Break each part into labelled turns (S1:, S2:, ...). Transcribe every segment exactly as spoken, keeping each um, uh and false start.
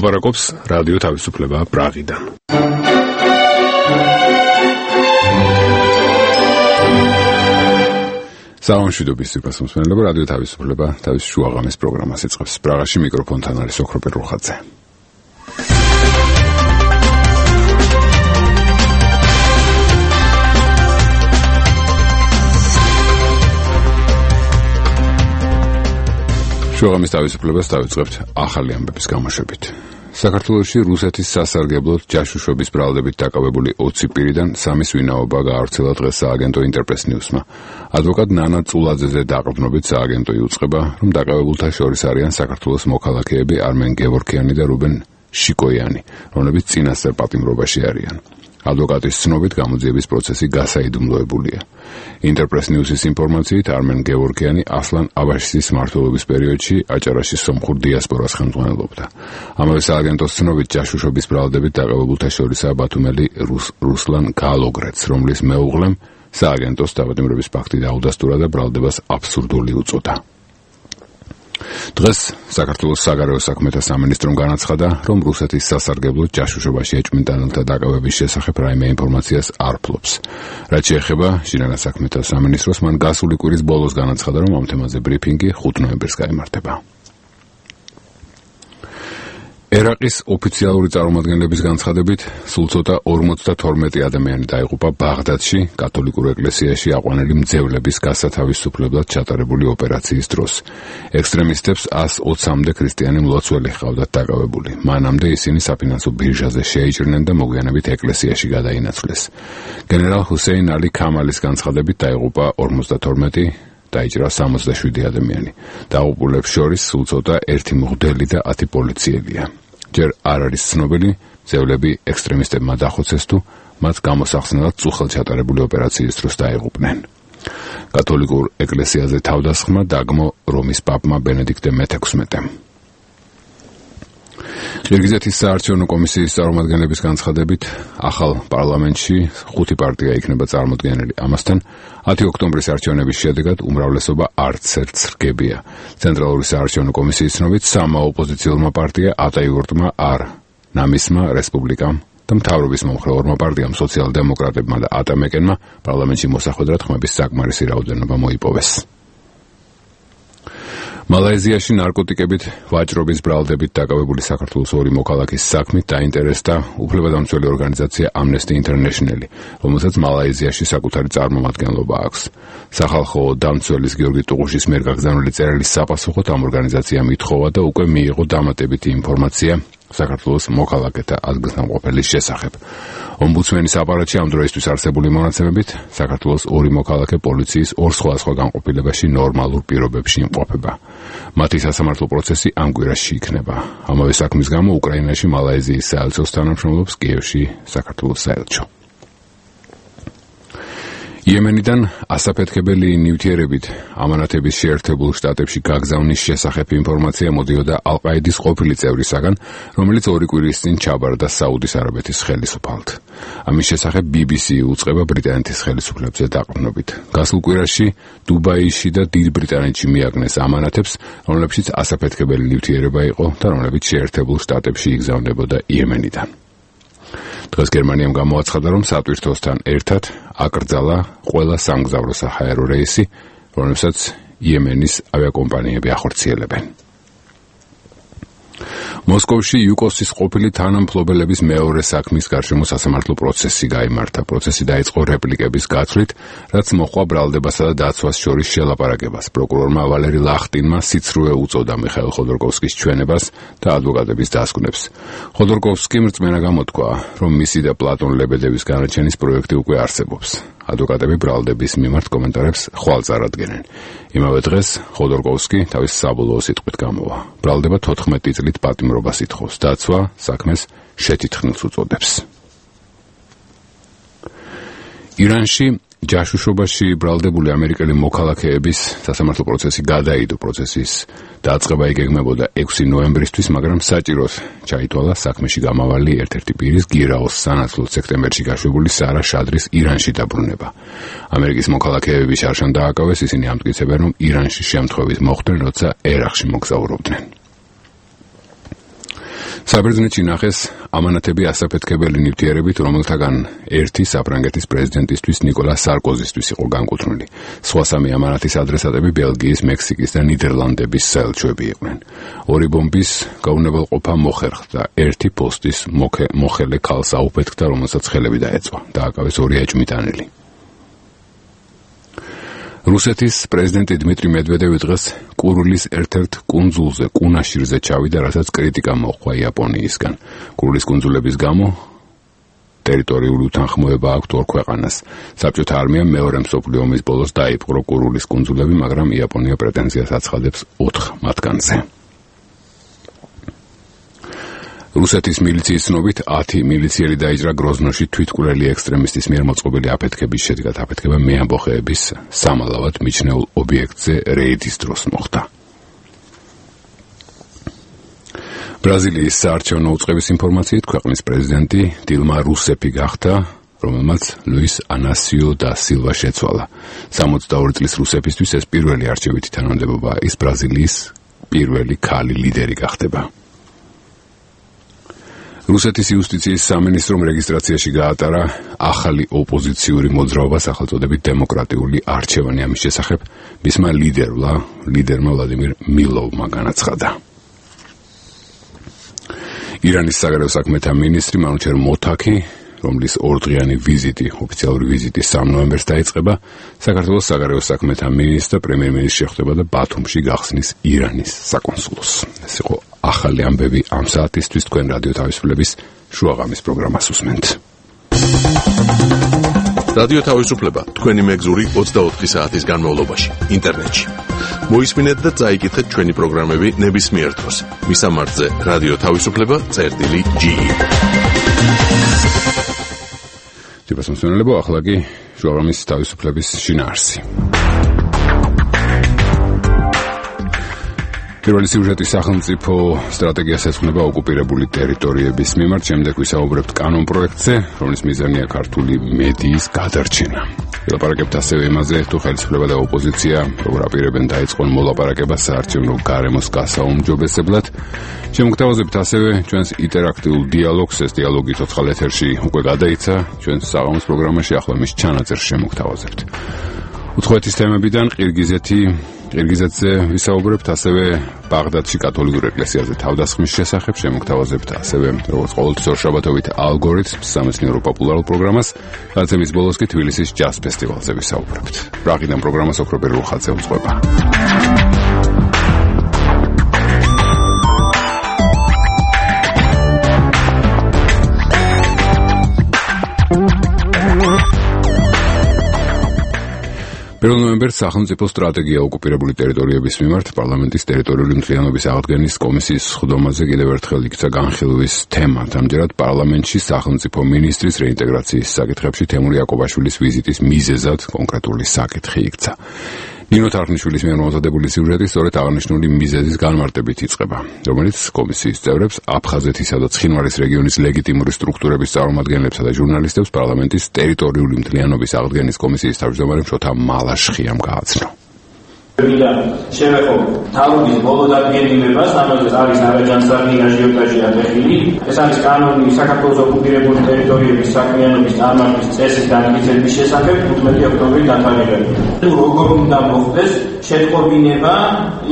S1: ლაპარაკობს რადიო თავისუფლება პრაღიდან. სალამშვიდობის სიყვარულმსმენელებო, რადიო თავისუფლება თავის შუაღამის პროგრამას იწყებს. პრაღაში მიკროფონთან არის ოქრო პერუხაძე. შუაღამის თავისუფლებას დავიწყებთ ახალი ამბების გამოშვებით. საქართველოში რუსეთის სასარგებლოდ ჯაშუშობის ბრალდებით დაკავებული ოცი პირიდან სამის ვინაობა გაავრცელა დღეს სააგენტო ინტერპრეს ნიუსმა. ადვოკატ ნანა წულაძეზე დაყრდნობით სააგენტო იუწყება, რომ დაკავებულთა შორის არიან საქართველოს მოქალაქეები არმენ გევორქიანი და რუბენ შიკოიანი, რომლებიც წინასწარ პატიმრობაში არიან. ადვოკატის ცნობით გამოძიების პროცესი გასაიდუმლოებულია. ინტერპრეს ნიუსის ინფორმაციით არმენ გევორქიანი ასლან აბაშიძის მმართველობის პერიოდში აჭარაში სომხურ დიასპორას ხელმძღვანელობდა. ამავე სააგენტოს ცნობით ჯაშუშობის ბრალდებით დაკავებულთა შორისაა ბათუმელი რუს, რუსლან გალოგრეც, რომლის მეუღლემ სააგენტოს დაპატიმრების ფაქტი დაუდასტურა და ბრალდებას აბსურდული უწოდა. დღეს საქართველოს საგარეო საქმეთა სამინისტრომ განაცხადა, რომ რუსეთის სასარგებლოდ ჯაშუშობაში ეჭვმიტანელთა დაკავების შესახებ რაიმე ინფორმაციას არ ფლობს. რაც შეეხება ჟირენა საქმეთა სამინისტროს, მან გასული კვირის ბოლოს განაცხადა, რომ ამ თემაზე ბრიფინგი ხუთ ნოემბერს გაიმართება. ერაყის ოფიციალური წარმომადგენლების განცხადებით, სულ ცოტა ორმოცდათორმეტი ადამიანი დაიღუპა ბაღდადში კათოლიკურ ეკლესიაში აყვანილი მძევლების გასათავისუფლებლად ჩატარებული ოპერაციის დროს. ექსტრემისტებს ას ოცამდე ქრისტიანი მლოცველი ჰყავდათ დაკავებული. მანამდე ისინი საფინანსო ბირჟაზე შეიჭრნენ და მოგვიანებით ეკლესიაში გადაინაცვლეს. გენერალ ჰუსეინ ალი ქამალის განცხადებით დაიღუპა ორმოცდათორმეტი, დაიჭრა სამოცდაშვიდი ადამიანი. დაღუპულებს შორის სულ ცოტა ერთი მღვდელი და ათი პოლიციელია. ჯერ არ არის ცნობილი, მძევლები ექსტრემისტებმა დახოცეს თუ მათ გამოსახსნელად წუხელ ჩატარებული ოპერაციის დროს დაიღუპნენ. კათოლიკურ ეკლესიაზე თავდასხმა დაგმო რომის პაპმა ბენედიქტე მეთექვსმეტემ. ყირგიზეთის საარჩევნო კომისიის წარმომადგენლების განცხადებით, ახალ პარლამენტში ხუთი პარტია იქნება წარმოდგენილი. ამასთან ათი ოქტომბრის არჩევნების შედეგად უმრავლესობა არც ერთს რგებია. ცენტრალური საარჩევნო კომისიის ცნობით, სამმა ოპოზიციურმა პარტია ატაიურტმა არ, ნამისმა რესპუბლიკამ და მთავრობის მომხრე ორმა პარტიამ სოციალ-დემოკრატებმა და ატამეკენმა პარლამენტში მოსახვედრად ხმების საკმარისი რაოდენობა მოიპოვეს. მალაიზიაში ნარკოტიკებით ვაჭრობის ბრალდებით დაკავებული საქართველოს ორი მოქალაქის საქმით დაინტერესდა უფლებადამცველი ორგანიზაცია Amnesty International, რომელსაც მალაიზიაში საკუთარი წარმომადგენლობა აქვს. სახალხო დამცველის გიორგი ტუღუშის მიერ გაგზავნილი წერილის საპასუხოდ ამ ორგანიზაციამ ითხოვა და უკვე მიიღო დამატებითი ინფორმაცია საქართველოს მოქალაქეთა ადგილსამყოფელის შესახებ. ომბუდსმენის აპარატში ამ დროისთვის არსებული მონაცემებით საქართველოს ორი მოქალაქე პოლიციის ორ სხვადასხვა განყოფილებაში ნორმალურ პირობებში იმყოფება. მათი სასამართლო პროცესი ამ კვირაში იქნება. ამავე საქმის გამო უკრაინაში მალაიზიის საელჩოს თანამშრომლობს კიევში საქართველოს საელჩო. იემენიდან ასაფეთქებელი ნივთიერებით ამანათების შეერთებულ შტატებში გაგზავნის შესახებ ინფორმაცია მოდიოდა ალ-ყაიდის ყოფილი წევრისაგან, რომელიც ორი კვირის წინ ჩაბარდა საუდის არაბეთის ხელისუფალთ. ამის შესახებ ბი ბი სი უწყება ბრიტანეთის ხელისუფლებზე დაყრდნობით. გასულ კვირაში დუბაიში და დიდ ბრიტანეთში მიაგნეს ამანათებს, რომლებშიც ასაფეთქებელი ნივთიერება იყო და რომლებიც შეერთებულ შტატებში იგზავნებოდა იემენიდან. დღეს გერმანიამ გამოაცხადა, რომ სატვირთოსთან ერთად აკრძალა ყველა სამგზავრო საჰაერო რეისი, რომლებსაც იემენის ავიაკომპანიები ახორციელებენ. მოსკოვში იუკოსის ყოფილი თანამფლობელების მეორე საქმის გარშემო სასამართლო პროცესი გაიმართა. პროცესი დაიწყო რეპლიკების გაცვლით, რაც მოჰყვა ბრალდებასა და დაცვას შორის შელაპარაკებას. პროკურორმა ვალერი ლახტინმა სიცრუე უწოდა მიხაილ ხოდორკოვსკის ჩვენებას და ადვოკატების დასკვნებს. ხოდორკოვსკიმ რწმენა გამოთქვა, რომ მისი და პლატონ ლებედევის განაჩენის პროექტი უკვე არსებობს. ადვოკატები ბრალდების მიმართ კომენტარებს ხვალ წარადგენენ. იმავე დღეს ხოდორკოვსკი თავის საბოლოო სიტყვით გამოვა. ბრალდება თოთხმეტი წლით პატიმრობას ითხოვს. დაცვა საქმეს შეთითხნილს უწოდებს. ირანში ჯაშუშობაში ბრალდებული ამერიკელი მოქალაქეების სასამართლო პროცესი გადაიდო. პროცესის დაწყება იგეგმებოდა ექვსი ნოემბრისთვის, მაგრამ საჭიროდ ჩაითვალა საქმეში გამავალი ერთ-ერთი პირის გირაოს სანაცვლოდ სექტემბერში გაშვებული სარა შადრის ირანში დაბრუნება. ამერიკის მოქალაქეები შარშან დააკავეს, ისინი ამტკიცებენ, რომ ირანში შემთხვევით მოხვდნენ, როცა ერაყში მოგზაურობდნენ. საბერძნეთში ნახეს ამანათები ასაფეთქებელი ნივთიერებით, რომელთაგან ერთი საფრანგეთის პრეზიდენტისთვის ნიკოლა სარკოზისთვის იყო განკუთვნილი. სხვა სამი ამანათის ადრესატები ბელგიის, მექსიკის და ნიდერლანდების საელჩოები იყვნენ. ორი ბომბის გაუნებელყოფა მოხერხდა, ერთი პოსტის მოხელე ქალს აუფეთქდა, რომელსაც ხელები დაეწვა. დააკავეს ორი ეჭვმიტანილი. რუსეთის პრეზიდენტი დმიტრი მედვედევი დღეს კურილის ერთ-ერთ კუნძულზე, კუნაშირზე ჩავიდა, რასაც კრიტიკა მოჰყვა იაპონიისგან. კურილის კუნძულების გამო ტერიტორიული უთანხმოება აქვთ ორ ქვეყანას. საბჭოთა არმიამ მეორე მსოფლიო ომის ბოლოს დაიპყრო კურილის კუნძულები, მაგრამ იაპონია პრეტენზიას აცხადებს ოთხ მათგანზე. რუსეთის მილიციის ცნობით ათი მილიციელი დაიჭრა გროზნოში თვითმკვლელი ექსტრემისტის მიერ მოწყობილი აფეთქების შედეგად. აფეთქება მეამბოხეების სამალავად მიჩნეულ ობიექტზე რეიდის დროს მოხდა. ბრაზილიის საარჩევნო უწყების ინფორმაციით ქვეყნის პრეზიდენტი დილმა რუსეფი გახდა, რომელმაც ლუის ანასიო და სილვა შეცვალა. სამოცდაორი წლის რუსეფისთვის ეს პირველი არჩევითი თანამდებობა, ის ბრაზილიის პირველი ქალი ლიდერი გახდება. რუსეთის იუსტიციის სამინისტრომ რეგისტრაციაში გაატარა ახალი ოპოზიციური მოძრაობა სახელწოდებით დემოკრატიული არჩევანი. ამის შესახებ მისმა ლიდერმა, ლიდერმა ვლადიმირ მილოვმა განაცხადა. ირანის საგარეო საქმეთა მინისტრი მანუჩერ მოთაკი, რომლის ორდღიანი ვიზიტი, ოფიციალური ვიზიტი სამ ნოემბერს დაიწყება, საქართველოს საგარეო საქმეთა მინისტრ და პრემიერ-მინისტრი შეხვდება და ბათუმში გახსნის ირანის საკონსულოს. ეს იყო ახალი ამბები ამ საათისთვის. თქვენ რადიო თავისუფლების შუაღამის პროგრამას უსმენთ.
S2: რადიო თავისუფლება თქვენი მეგზური ოცდაოთხი საათის განმავლობაში ინტერნეტში. მოისმინეთ და წაიკითხეთ ჩვენი პროგრამები ნებისმიერ დროს. მისამართზე რადიო თავისუფლება წერტილი ჯი.
S1: ჯიბასმსვენელებო, ახლა კი შუაღამის თავისუფლების შინაარსი. პირველი სიუჟეტი სახელმწიფო სტრატეგიას ეძღვნება ოკუპირებული ტერიტორიების მიმართ. შემდეგ ვისაუბრებთ კანონ პროექტზე, რომლის მიზანია ქართული მედიის გადარჩენა. ვილაპარაკებთ ასევე იმაზე, თუ ხელისუფლება და ოპოზიცია როგორ აპირებენ დაეწყონ მოლაპარაკებას საარჩევნო გარემოს გასაუმჯობესებლად. შემოგთავაზებთ ასევე ჩვენს ინტერაქტიულ დიალოგს. ეს დიალოგი ცოცხალ ეთერში უკვე გადაიცა ჩვენს საღამოს პროგრამაში, ახლა მის ჩანაწერს შემოგთავაზებთ. უცხოეთის თემებიდან ყირგიზეთი ყირგიზეთზე ვისაუბრებთ, ასევე ბაღდადში კათოლიკურ ეკლესიაზე თავდასხმის შესახებ შემოგთავაზებთ, ასევე როგორც ყოველთვის ორშაბათობით ალგორითმს, სამეცნიერო პოპულარულ პროგრამას, გადაცემის ბოლოს კი თბილისის ჯაზ ფესტივალზე ვისაუბრებთ. პრაღიდან პროგრამას ოქრობერ რუხაძე უძღვება. პირველ ნოემბერს სახელმწიფო სტრატეგია ოკუპირებული ტერიტორიების მიმართ პარლამენტის ტერიტორიული მთლიანობის აღდგენის კომისიის სხდომაზე კიდევ ერთხელ იქცა განხილვის თემა. ამჯერად პარლამენტში სახელმწიფო მინისტრის რეინტეგრაციის საკითხებში თემურ იაკობაშვილის ვიზიტის მიზეზად კონკრეტული საკითხი იქცა. ნინო თარხნიშვილის მიერ მომზადებული სიუჟეტი სწორედ აღნიშნული მიზეზის განმარტებით იწყება, რომელიც კომისიის წევრებს, აფხაზეთისა და ცხინვალის რეგიონის ლეგიტიმური სტრუქტურების წარმომადგენლებსა და ჟურნალისტებს პარლამენტის ტერიტორიული მთლიანობის აღდგენის კომისიის თავმჯდომარემ შოთა მალაშხიამ გააცნო.
S3: შევეხო თავის ბოლო დადგენილებას, ამაზე არის ნარაჯანსაღი აჟიოტაჟი ატეხილი. ეს არის კანონი საქართველოს ოკუპირებული ტერიტორიების საქმიანობის წარმართის წესის განმტკიცების შესახებ თხუთმეტი ოქტომბრის დათარიღებული. როგორ უნდა მოხდეს შეტყობინება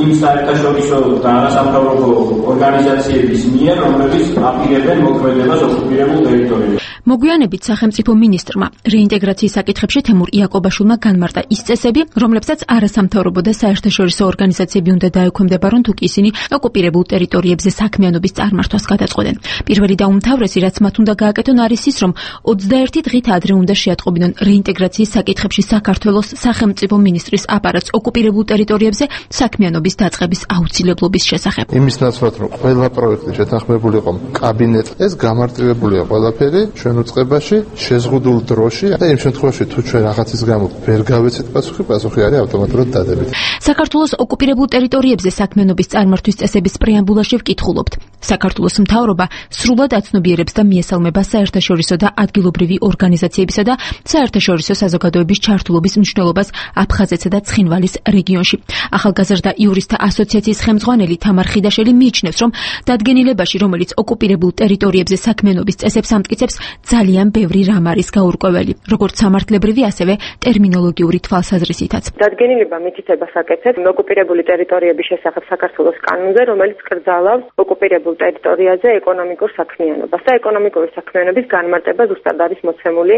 S3: იმ საერთაშორისო და არასამთავრობო ორგანიზაციების მიერ, რომლებიც აპირებენ მოქმედებას ოკუპირებულ ტერიტორიებში.
S4: მოგვიანებით სახელმწიფო მინისტრმა რეინტეგრაციის საკითხებში თემურ იაკობაშვილმა განმარტა ის წესები, რომლებსაც არასამთავრობო და საერთაშორისო ორგანიზაციები უნდა დაექვემდებარონ, თუ კი ისინი ოკუპირებულ ტერიტორიებზე საქმიანობის წარმართვას გადაწყვეტენ. პირველი და უმთავრესი, რაც მათ უნდა გააკეთონ, არის ის, რომ ოცდაერთი დღით ადრე უნდა შეატყობინონ რეინტეგრაციის საკითხებში საქართველოს სახელმწიფო მინისტრის აპარატს ოკუპირებულ ტერიტორიებზე საქმიანობის დაწყების აუცილებლობის შესახებ.
S5: იმის ნაცვლად, რომ ყველა პროექტი შეთანხმებული იყო კაბინეტს, ეს გამარტივებულია ყველაფერი ჩვენ უწყებაში, შეზღუდულ დროში და იმ შემთხვევაში თუ ჩვენ რაღაცის გამო ვერ გავეცეთ პასუხი, პასუხი არის ავტომატურად დადებით.
S4: საქართველოს ოკუპირებულ ტერიტორიებზე საქმიანობის წარმართვის წესების პრეამბულაში ვკითხულობთ. საქართველოს მთავრობა სრულად აცნობიერებს და მიესალმება საერთაშორისო და ადგილობრივი ორგანიზაციებისა და საერთაშორისო საზოგადოების ჩართულობის მნიშვნელობას აფხაზეთსა და ცხინვალის რეგიონში. ახალგაზრდა იურისტთა ასოციაციის ხელმძღვანელი თამარ ხიდაშელი მიიჩნევს, რომ დადგენილებაში, რომელიც ოკუპირებულ ტერიტორიებზე საქმიანობის წესებს ამტკიცებს, ძალიან ბევრი რამ არის გაურკვეველი, როგორც სამართლებრივი, ასევე ტერმინოლოგიური თვალსაზრისითაც.
S6: დადგენილება მითითებას აკეთებს ოკუპირებული ტერიტორიების შესახებ საქართველოს კანონზე, რომელიც კრძალავს ოკუპირებულ ტერიტორიაზე ეკონომიკურ საქმიანობას და ეკონომიკური საქმიანობის განმარტება ზუსტად არის მოცემული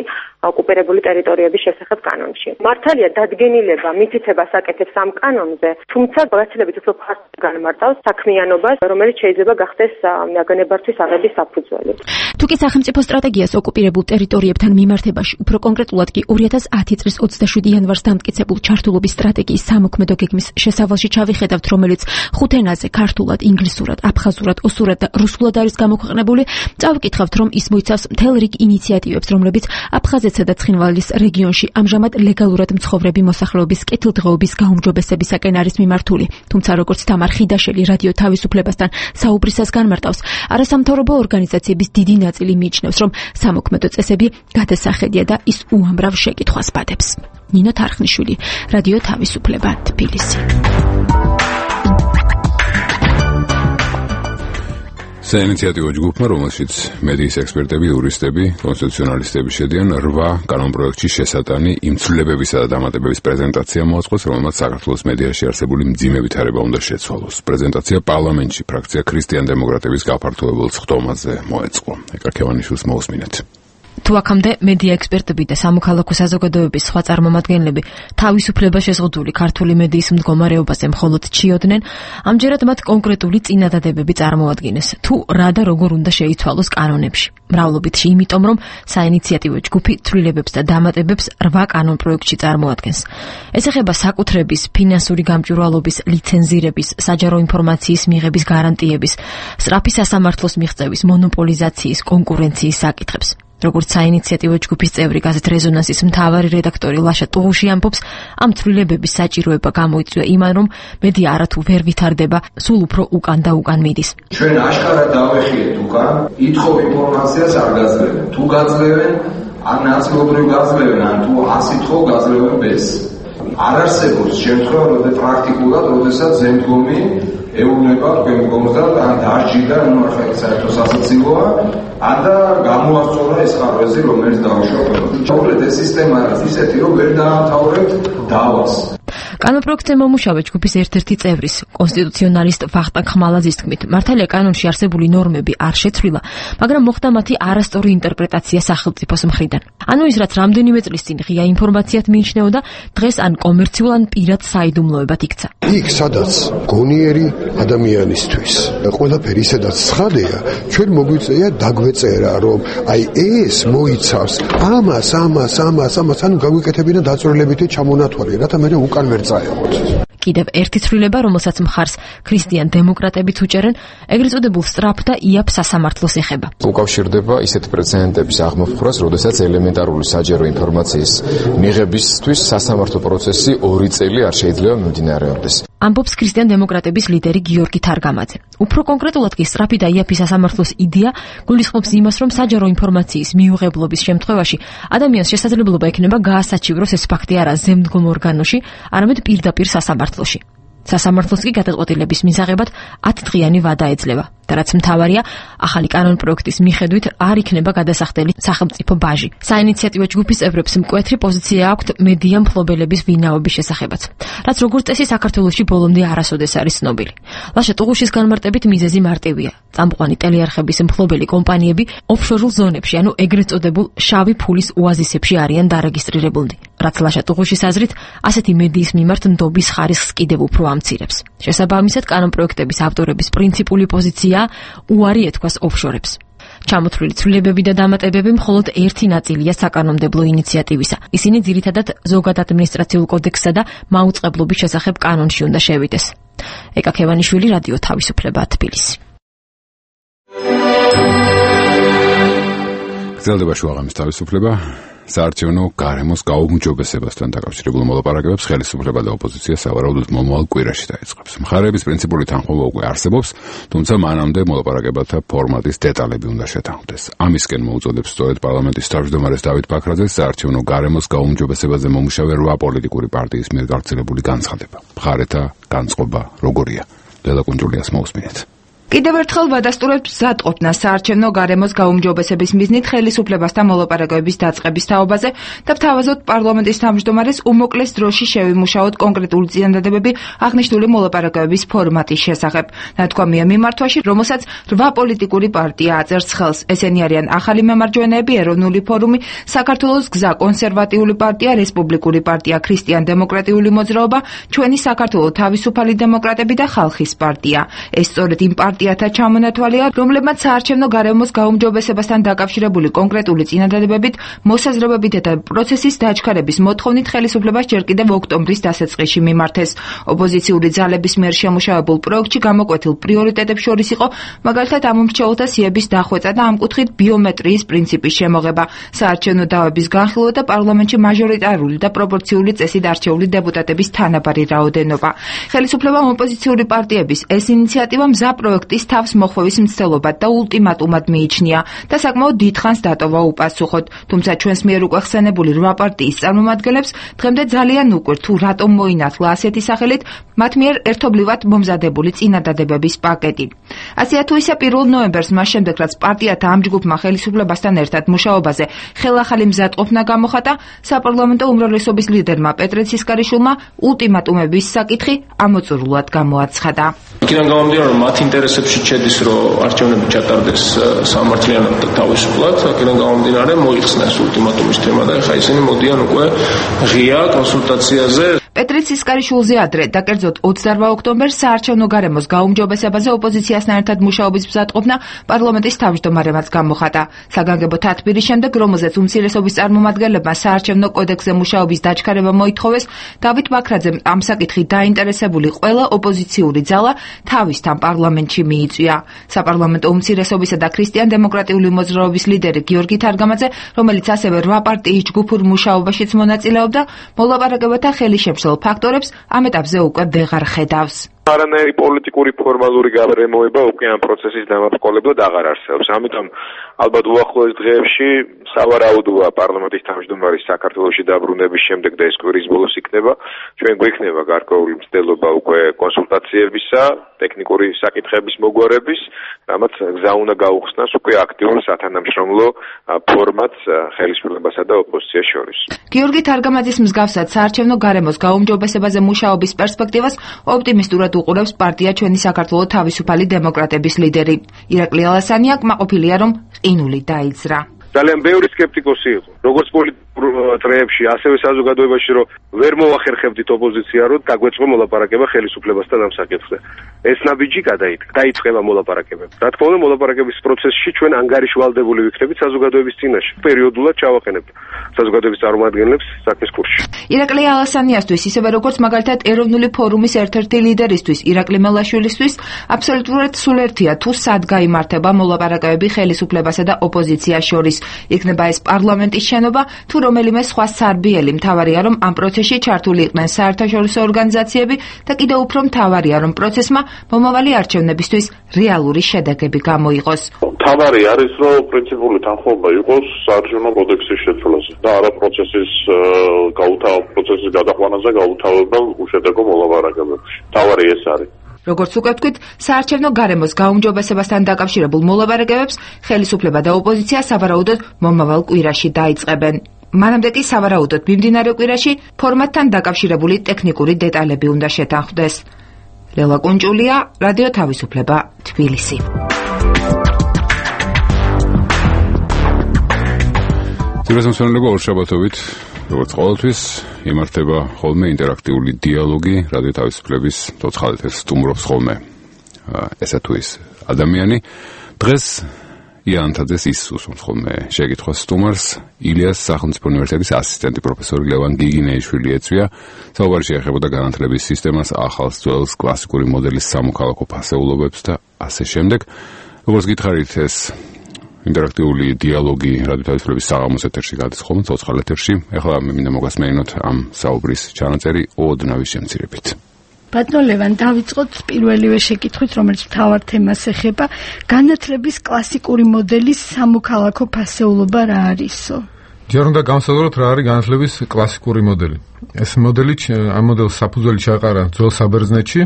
S6: ოკუპირებული ტერიტორიების შესახებ კანონში. მართალია დადგენილება მითითებას აკეთებს ამ კანონზე, თუმცა გაცილებით უფრო ფართოდ განმარტავს საქმიანობას, რომელიც შეიძლება გახდეს ნაგებობათვის აღების საფუძველი.
S4: თუკი სახელმწიფო სტრატეგიას ოკუპირებულ ტერიტორიებთან მიმართებაში, უფრო კონკრეტულად კი ორი ათას ათი წლის ოცდაშვიდი იანვარს დამტკიცებულ ჩართულობის სტრატეგიის სამოქმედო გეგმის შესავალში ჩავიხედავთ, რომელიც ხუთ ენაზე ქართულად, ინგლისურად, აფხაზურად, ოსურად და რუსულად არის გამოქვეყნებული, წავიკითხავთ, რომ ის მოიცავს მთელ რიგ ინიციატივებს, რომლებიც აფხაზეთსა და ცხინვალის რეგიონში ამჟამად ლეგალურად მცხოვრები მოსახლეობის კეთილდღეობის გაუმჯობესებისაკენ არის მიმართული. თუმცა, როგორც თამარ ხიდაშელი რადიო თავისუფლებასთან საუბრისას განმარტავს, არასამთავრობო ორგანიზაციების დიდი ნაწილი მიიჩნევს, რომ სამოქმედო წესები გადასახედია და ის უამრავ შეკითხვას ბადებს. ნინო თარხნიშვილი, რადიო თავისუფლება, თბილისი.
S1: საინიციატივო ჯგუფმა, რომელშიც მედიის ექსპერტები, იურისტები, კონსტიტუციონალისტები შედიან, რვა კანონპროექტში შესატანი იმ ცვლილებებისა და დამატებების პრეზენტაცია მოაწყოს, რომელმაც საქართველოს მედიაში არსებული მძიმე ვითარება უნდა შეცვალოს. პრეზენტაცია პარლამენტში ფრაქცია ქრისტიან დემოკრატების გაფართოებულ ხდომაზე მოეწყო. ეკა ქევანიშვილს მოусმინეთ.
S7: თუ აქამდე მედია ექსპერტები და სამოქალაქო საზოგადოების სხვა წარმომადგენლები თავისუფლება შეზღუდული ქართული მედიის მდგომარეობაზე მხოლოდ ჩიოდნენ, ამჯერად მათ კონკრეტული წინადადებები წარმოადგენეს, თუ რა და როგორ უნდა შეიცვალოს კანონებში. მრავლობითში იმიტომ, რომ საინიციატივო ჯგუფი ცვლილებებს და დამატებებს რვა კანონპროექტში წარმოადგენს. ეს ეხება საკუთრების, ფინანსური გამჭვირვალობის, ლიცენზირების, საჯარო ინფორმაციის მიღების გარანტიების, სწრაფი სასამართლოს მიღწევის, მონოპოლიზაციის, კონკურენციის საკითხებს. როგორც საინიციატივო ჯგუფის წევრი გაზეთ რეზონანსის მთავარი რედაქტორი ლაშა ტუღუში ამბობს, ამ ცვლილებების საჭიროება გამოიწვია იმან, რომ მედია არათუ ვერ ვითარდება, სულ უფრო უკან და უკან მიდის.
S8: ჩვენ აშკარად დავეხიეთ უკან, ითხოვ ინფორმაციას არ გაძლევენ. თუ გაძლევენ, ან ნაწილობრივ გაძლევენ, ან თუ ასითხოვ გაძლევენ ბეს. არ არსებობს შემთხვევა, რომ პრაქტიკულად, როდესაც ზემდგომი ეუბნება თქვენ მდგომსა ან დარჯიდა, ანუ ახლა საერთო სასაცილოა, ან და გამოასწორა ეს ხარვეზი, რომელიც დაუშვა ყველას. ჩავრეთ ეს სისტემა არის ისეთი, რომ ვერ დაამთავრებთ დავას.
S7: კანონპროექტზე მომუშავე ჯგუფის ერთ-ერთი წევრის, კონსტიტუციონალისტ ვახტანგ ხმალაძის თქმით, მართალია კანონში არსებული ნორმები არ შეცვლილა, მაგრამ მოხდა მათი არასწორი ინტერპრეტაცია სახელმწიფოს მხრიდან. ანუ ის, რაც რამდენიმე წლის წინ ღია ინფორმაციად მიიჩნეოდა, დღეს ან კომერციულ, ან პირად საიდუმლოებად იქცა.
S9: იქ, სადაც გონიერი ადამიანისთვის ყველაფერი ისედაც ცხადია, ჩვენ მოგვიწეა დაგვეწერა, რომ აი ეს მოიცავს ამას, ამას, ამას, ამას, ანუ გაგვიკეთებინა დაწვრილებითი ჩამონათვალი, რათა მე უკან ვერ წაეღოთ.
S7: კიდევ ერთი ცვლილება, რომელსაც მხარს ქრისტიან დემოკრატებიც უჭერენ, ეგრეთ წოდებულ სწრაფ და იაფ სასამართლოს ეხება.
S10: უკავშირდება ისეთ პრეცედენტების აღმოფხვრას, როდესაც ელემენტარული საჯარო ინფორმაციის მიღებისთვის სასამართლო პროცესი ორი წელი არ შეიძლება მიმდინარეობდეს.
S7: ამბობს ქრისტიან დემოკრატების ლიდერი გიორგი თარგამაძე. უფრო კონკრეტულად კი სწრაფი და იაფი სასამართლოს იდეა გულისხმობს იმას, რომ საჯარო ინფორმაციის მიუღებლობის შემთხვევაში ადამიანს შესაძლებლობა ექნება გაასაჩივროს ეს ფაქტი არა ზემდგომ ორგანოში, არამედ პირდაპირ სასამართლოში. სასამართლოს კი გადაწყვეტილების მისაღებად ათდღიანი ვადა ეძლევა. და რაც მთავარია, ახალი კანონპროექტის მიხედვით არ იქნება გადასახდელი სახელმწიფო ბაჟი. საინიციატივო ჯგუფის წევრებს მკვეთრი პოზიცია აქვთ მედია მფლობელების ვინაობის შესახებაც, რაც როგორც წესი საქართველოში ბოლომდე არასოდეს არის ცნობილი. ლაშა ტუღუშის განმარტებით მიზეზი მარტივია. წამყვანი ტელეარხების მფლობელი კომპანიები ოფშორულ ზონებში, ანუ ეგრეთ წოდებულ შავი ფულის ოაზისებში არიან დარეგისტრირებულნი. რაც ლაშა ტუღუშის აზრით, ასეთი მედიის მიმართ ნდობის ხარისხს კიდევ უფრო ამცირებს. შესაბამისად, კანონპროექტების ავტორების პრინციპული პოზიცია უარი ეთქვას ოფშორებს. ჩამოთვლილი ცვლილებები და დამატებები მხოლოდ ერთი ნაწილია საკანონმდებლო ინიციატივისა. ისინი ძირითადად ზოგად ადმინისტრაციულ კოდექსსა და მაუწყებლობის შესახებ კანონში უნდა შევიდეს. ეკა ქევანიშვილი, რადიო თავისუფლება, თბილისი.
S1: გრძელდება შუაღამის თავისუფლება. საარჩევნო გარემოს გაუმჯობესებასთან დაკავშირებულ მოლაპარაკებებს ხელისუფლება და ოპოზიცია სავარაუდოდ მომავალ კვირაში დაიწყებს. მხარეების პრინციპული თანხმობა უკვე არსებობს, თუმცა მანამდე მოლაპარაკებათა ფორმატის დეტალები უნდა შეთანხმდეს. ამისკენ მოუწოდებს სწორედ პარლამენტის თავმჯდომარეს დავით ბაქრაძეს საარჩევნო გარემოს გაუმჯობესებაზე მომუშავე რვა პოლიტიკური პარტიის მიერ გავრცელებული განცხადება. მხარეთა განწყობა როგორია? ლელა კუნჯულიას მოусმინეთ.
S11: კიდევ ერთხელ ვადასტურებთ მზადყოფნა საარჩევნო გარემოს გაუმჯობესების მიზნით ხელისუფლებასთან მოლაპარაკებების დაწყების თაობაზე და ვთავაზობთ პარლამენტის თავმჯდომარეს უმოკლეს დროში შევიმუშაოთ კონკრეტული წინადადებები აღნიშნული მოლაპარაკებების ფორმატის შესახებ. ნათქვამია მიმართვაში, რომელსაც რვა პოლიტიკური პარტია აწერს ხელს. ესენი არიან ახალი მემარჯვენეები, ეროვნული ფორუმი, საქართველოს გზა, კონსერვატიული პარტია, რესპუბლიკური პარტია, ქრისტიან-დემოკრატიული მოძრაობა, ჩვენი საქართველო თავისუფალი დემოკრატები და ხალხის პარტია. ეს სწორედ იმ პარტიათა ჩამონათვალია, რომლებმაც საარჩევნო გარემოს გაუმჯობესებასთან დაკავშირებული კონკრეტული წინადადებებით, მოსაზრებებით და პროცესის დაჩქარების მოთხოვნით ხელისუფლებას ჯერ კიდევ ოქტომბრის დასაწყისში მიმართეს. ოპოზიციური ძალების მიერ შემუშავებულ პროექტში გამოკვეთილ პრიორიტეტებს შორის იყო მაგალითად ამ მრჩეველთა სიების დახვეწა და ამ კუთხით ბიომეტრიის პრინციპის შემოღება, საარჩევნო დავების განხილვა და პარლამენტში მაჟორიტარული და პროპორციული წესით არჩეული დეპუტატების თანაბარი რაოდენობა. ხელისუფლებამ ოპოზიციური პარტიების ეს ინიციატივა მზა პროექტ ის თავს მოხვევის მცდელობად და ულტიმატუმად მიიჩნია და საკმაოდ დიდხანს დატოვა უპასუხოდ. თუმცა ჩვენს მიერ უკვე ხსენებული რვა პარტიის წარმომადგენლებს დღემდე ძალიან უყვირთ თუ რატომ მოინათლა ასეთი სახელით მათ მიერ ერთობლივად მომზადებული წინადადებების პაკეტი. ასეა თუ ისე პირველ ნოემბერს მას შემდეგ რაც პარტიათა ამ ჯგუფმა ხელისუფლებასთან ერთად მუშაობაზე ხელახალი მზადყოფნა გამოხატა, საპარლამენტო უმრავლესობის ლიდერმა პეტრე ცისკარიშვილმა ულტიმატუმების საკითხი ამოწურულად გამოაცხადა.
S3: იქიდან გამომდინარე, რომ მათ ინტერესებში შედის, რომ არჩევნები ჩატარდეს სამართლიანად და თავისუფლად, აქედან გამომდინარე მოიხსნეს ულტიმატუმის თემა და ეხლა ისინი მოდიან უკვე ღია კონსულტაციაზე.
S11: პეტრე ცისკარიშვილზე ადრე და კერძოდ ოცდარვა ოქტომბერს საარჩევნო გარემოს გაუმჯობესებაზე ოპოზიციასთან ერთად მუშაობის მზადყოფნა პარლამენტის თავმჯდომარემაც გამოხატა. საგანგებო თათბირის შემდეგ, რომელზეც უმცირესობის წარმომადგენლებმა საარჩევნო კოდექსზე მუშაობის დაჩქარება მოითხოვეს, დავით ბაქრაძემ ამ საკითხით დაინტერესებული ყველა ოპოზიციური ძალა თავისთან პარლამენტში მიიწვია. საპარლამენტო უმცირესობისა და ქრისტიან-დემოკრატიული მოძრაობის ლიდერი გიორგი თარგამაძე, რომელიც ასევე რვა პარტიის ჯგუფურ მუშაობაშიც მონაწილეობდა, მოლაპარაკებათა ხელისშემშლელ ფაქტორებს ამ ეტაპზე უკვე ვეღარ ხედავს.
S12: არანაირი პოლიტიკური ფორმალური გარემოება უკვე ამ პროცესის დამაბრკოლებლად აღარ არსებობს. ამიტომ ალბათ უახლოეს დღეებში სავარაუდოა პარლამენტის თავმჯდომარის საქართველოში დაბრუნების შემდეგ და ეს კვირის ბოლოს იქნება, ჩვენ გვექნება გარკვეული მცდელობა უკვე კონსულტაციებისა, ტექნიკური საკითხების მოგვარების, რამაც გზა უნდა გაუხსნას უკვე აქტიურ სათანამშრომლო ფორმატს ხელისუფლებასა და ოპოზიციას შორის.
S11: გიორგი თარგამაძის მსგავსად საარჩევნო გარემოს გაუმჯობესებაზე მუშაობის პერსპექტივას ოპტიმისტურად უყურებს პარტია ჩვენი საქართველო თავისუფალი დემოკრატების ლიდერი. ირაკლი ალასანია კმაყოფილია, რომ ყინული დაიძრა.
S12: ძალიან ბევრი სკეპტიკოსი იყო, როგორც პოლიტიკურ წრეებში, ასევე საზოგადოებაში, რომ ვერ მოახერხებდით ოპოზიცია, რომ დაგვეწყო მოლაპარაკება ხელისუფლებასთან ამ საკითხზე. ეს ნაბიჯი დაიწყება მოლაპარაკებები. რა თქმა უნდა, მოლაპარაკების პროცესში ჩვენ ანგარიშვალდებული ვიქნებით საზოგადოების წინაშე. პერიოდულად ჩავაყენებთ საზოგადოების წარმომადგენლებს საქმის კურსში.
S11: ირაკლი ალასანიასთვის, ისევე როგორც მაგალითად ეროვნული ფორუმის ერთ-ერთი ლიდერისთვის, ირაკლი მელაშვილისთვის, აბსოლუტურად სულერთია თუ სად გაიმართება მოლაპარაკებები ხელისუფლებასა და ოპოზიციას შორის. იქნება ეს პარლამენტის შენობა თუ რომელიმე სხვა სარბიელი. მთავარია, რომ ამ პროცესში ჩართული იყვნენ საერთაშორისო ორგანიზაციები და კიდევ უფრო მთავარია, რომ პროცესმა მომავალი არჩევნებისთვის რეალური შედეგები გამოიღოს.
S13: მთავარი არის, რომ პრინციპული თანხმობა იყოს საარჩევნო კოდექსის შეცვლაზე და არა პროცესის გაუთავ პროცესის გადაყვანაზე გაუთავებელ უშედეგო მოლაპარაკებებში. მთავარი ეს არის.
S11: როგორც უკვე ვთქვით, საარჩევნო გარემოს გაუმჯობესებასთან დაკავშირებულ მოლაპარაკებებს ხელისუფლება და ოპოზიცია სავარაუდოდ მომავალ კვირაში დაიწყებენ. მანამდე კი სავარაუდოდ მიმდინარე კვირაში ფორმატთან დაკავშირებული ტექნიკური დეტალები უნდა შეთანხმდეს. ლელა კუნჭულია, რადიო თავისუფლება, თბილისი.
S1: თბილისმსვენელობა ორშაბათობით, როგორც ყოველთვის, იმართება ხოლმე ინტერაქტიული დიალოგი რადიო თავისუფლების ცოცხალ ეთერს სტუმრობს ხოლმე ესა თუ ის ადამიანი. დღეს იანთაძეს ის უსვამს ხოლმე შეკითხვას სტუმარს, ილიას სახელმწიფო უნივერსიტეტის ასისტენტი პროფესორი ლევან გიგინეიშვილი ეწვია. საუბარი შეეხებოდა განათლების სისტემას, ახალ ძველს, კლასიკური მოდელის სამოქალაქო ფასეულობებს და ასე შემდეგ. როგორც გითხარით, ეს ინტერაქტიული დიალოგი რადიო თავისუფლების საღამოს ეთერში გადის ხოლმე ცოცხალ ეთერში. ეხლა მე მინდა მოგასმენინოთ ამ საუბრის ჩანაწერი ოდნავის შემცირებით.
S14: ბატონო ლევან, დავიწყოთ პირველივე შეკითხვით, რომელიც მთავარ თემას ეხება. განათლების კლასიკური მოდელის სამოქალაქო ფასეულობა რა არისო?
S15: ჯერ უნდა განსაზღვროთ რა არის განათლების კლასიკური მოდელი. ეს მოდელი ამ მოდელს საფუძველი ჩაეყარა ძველ საბერძნეთში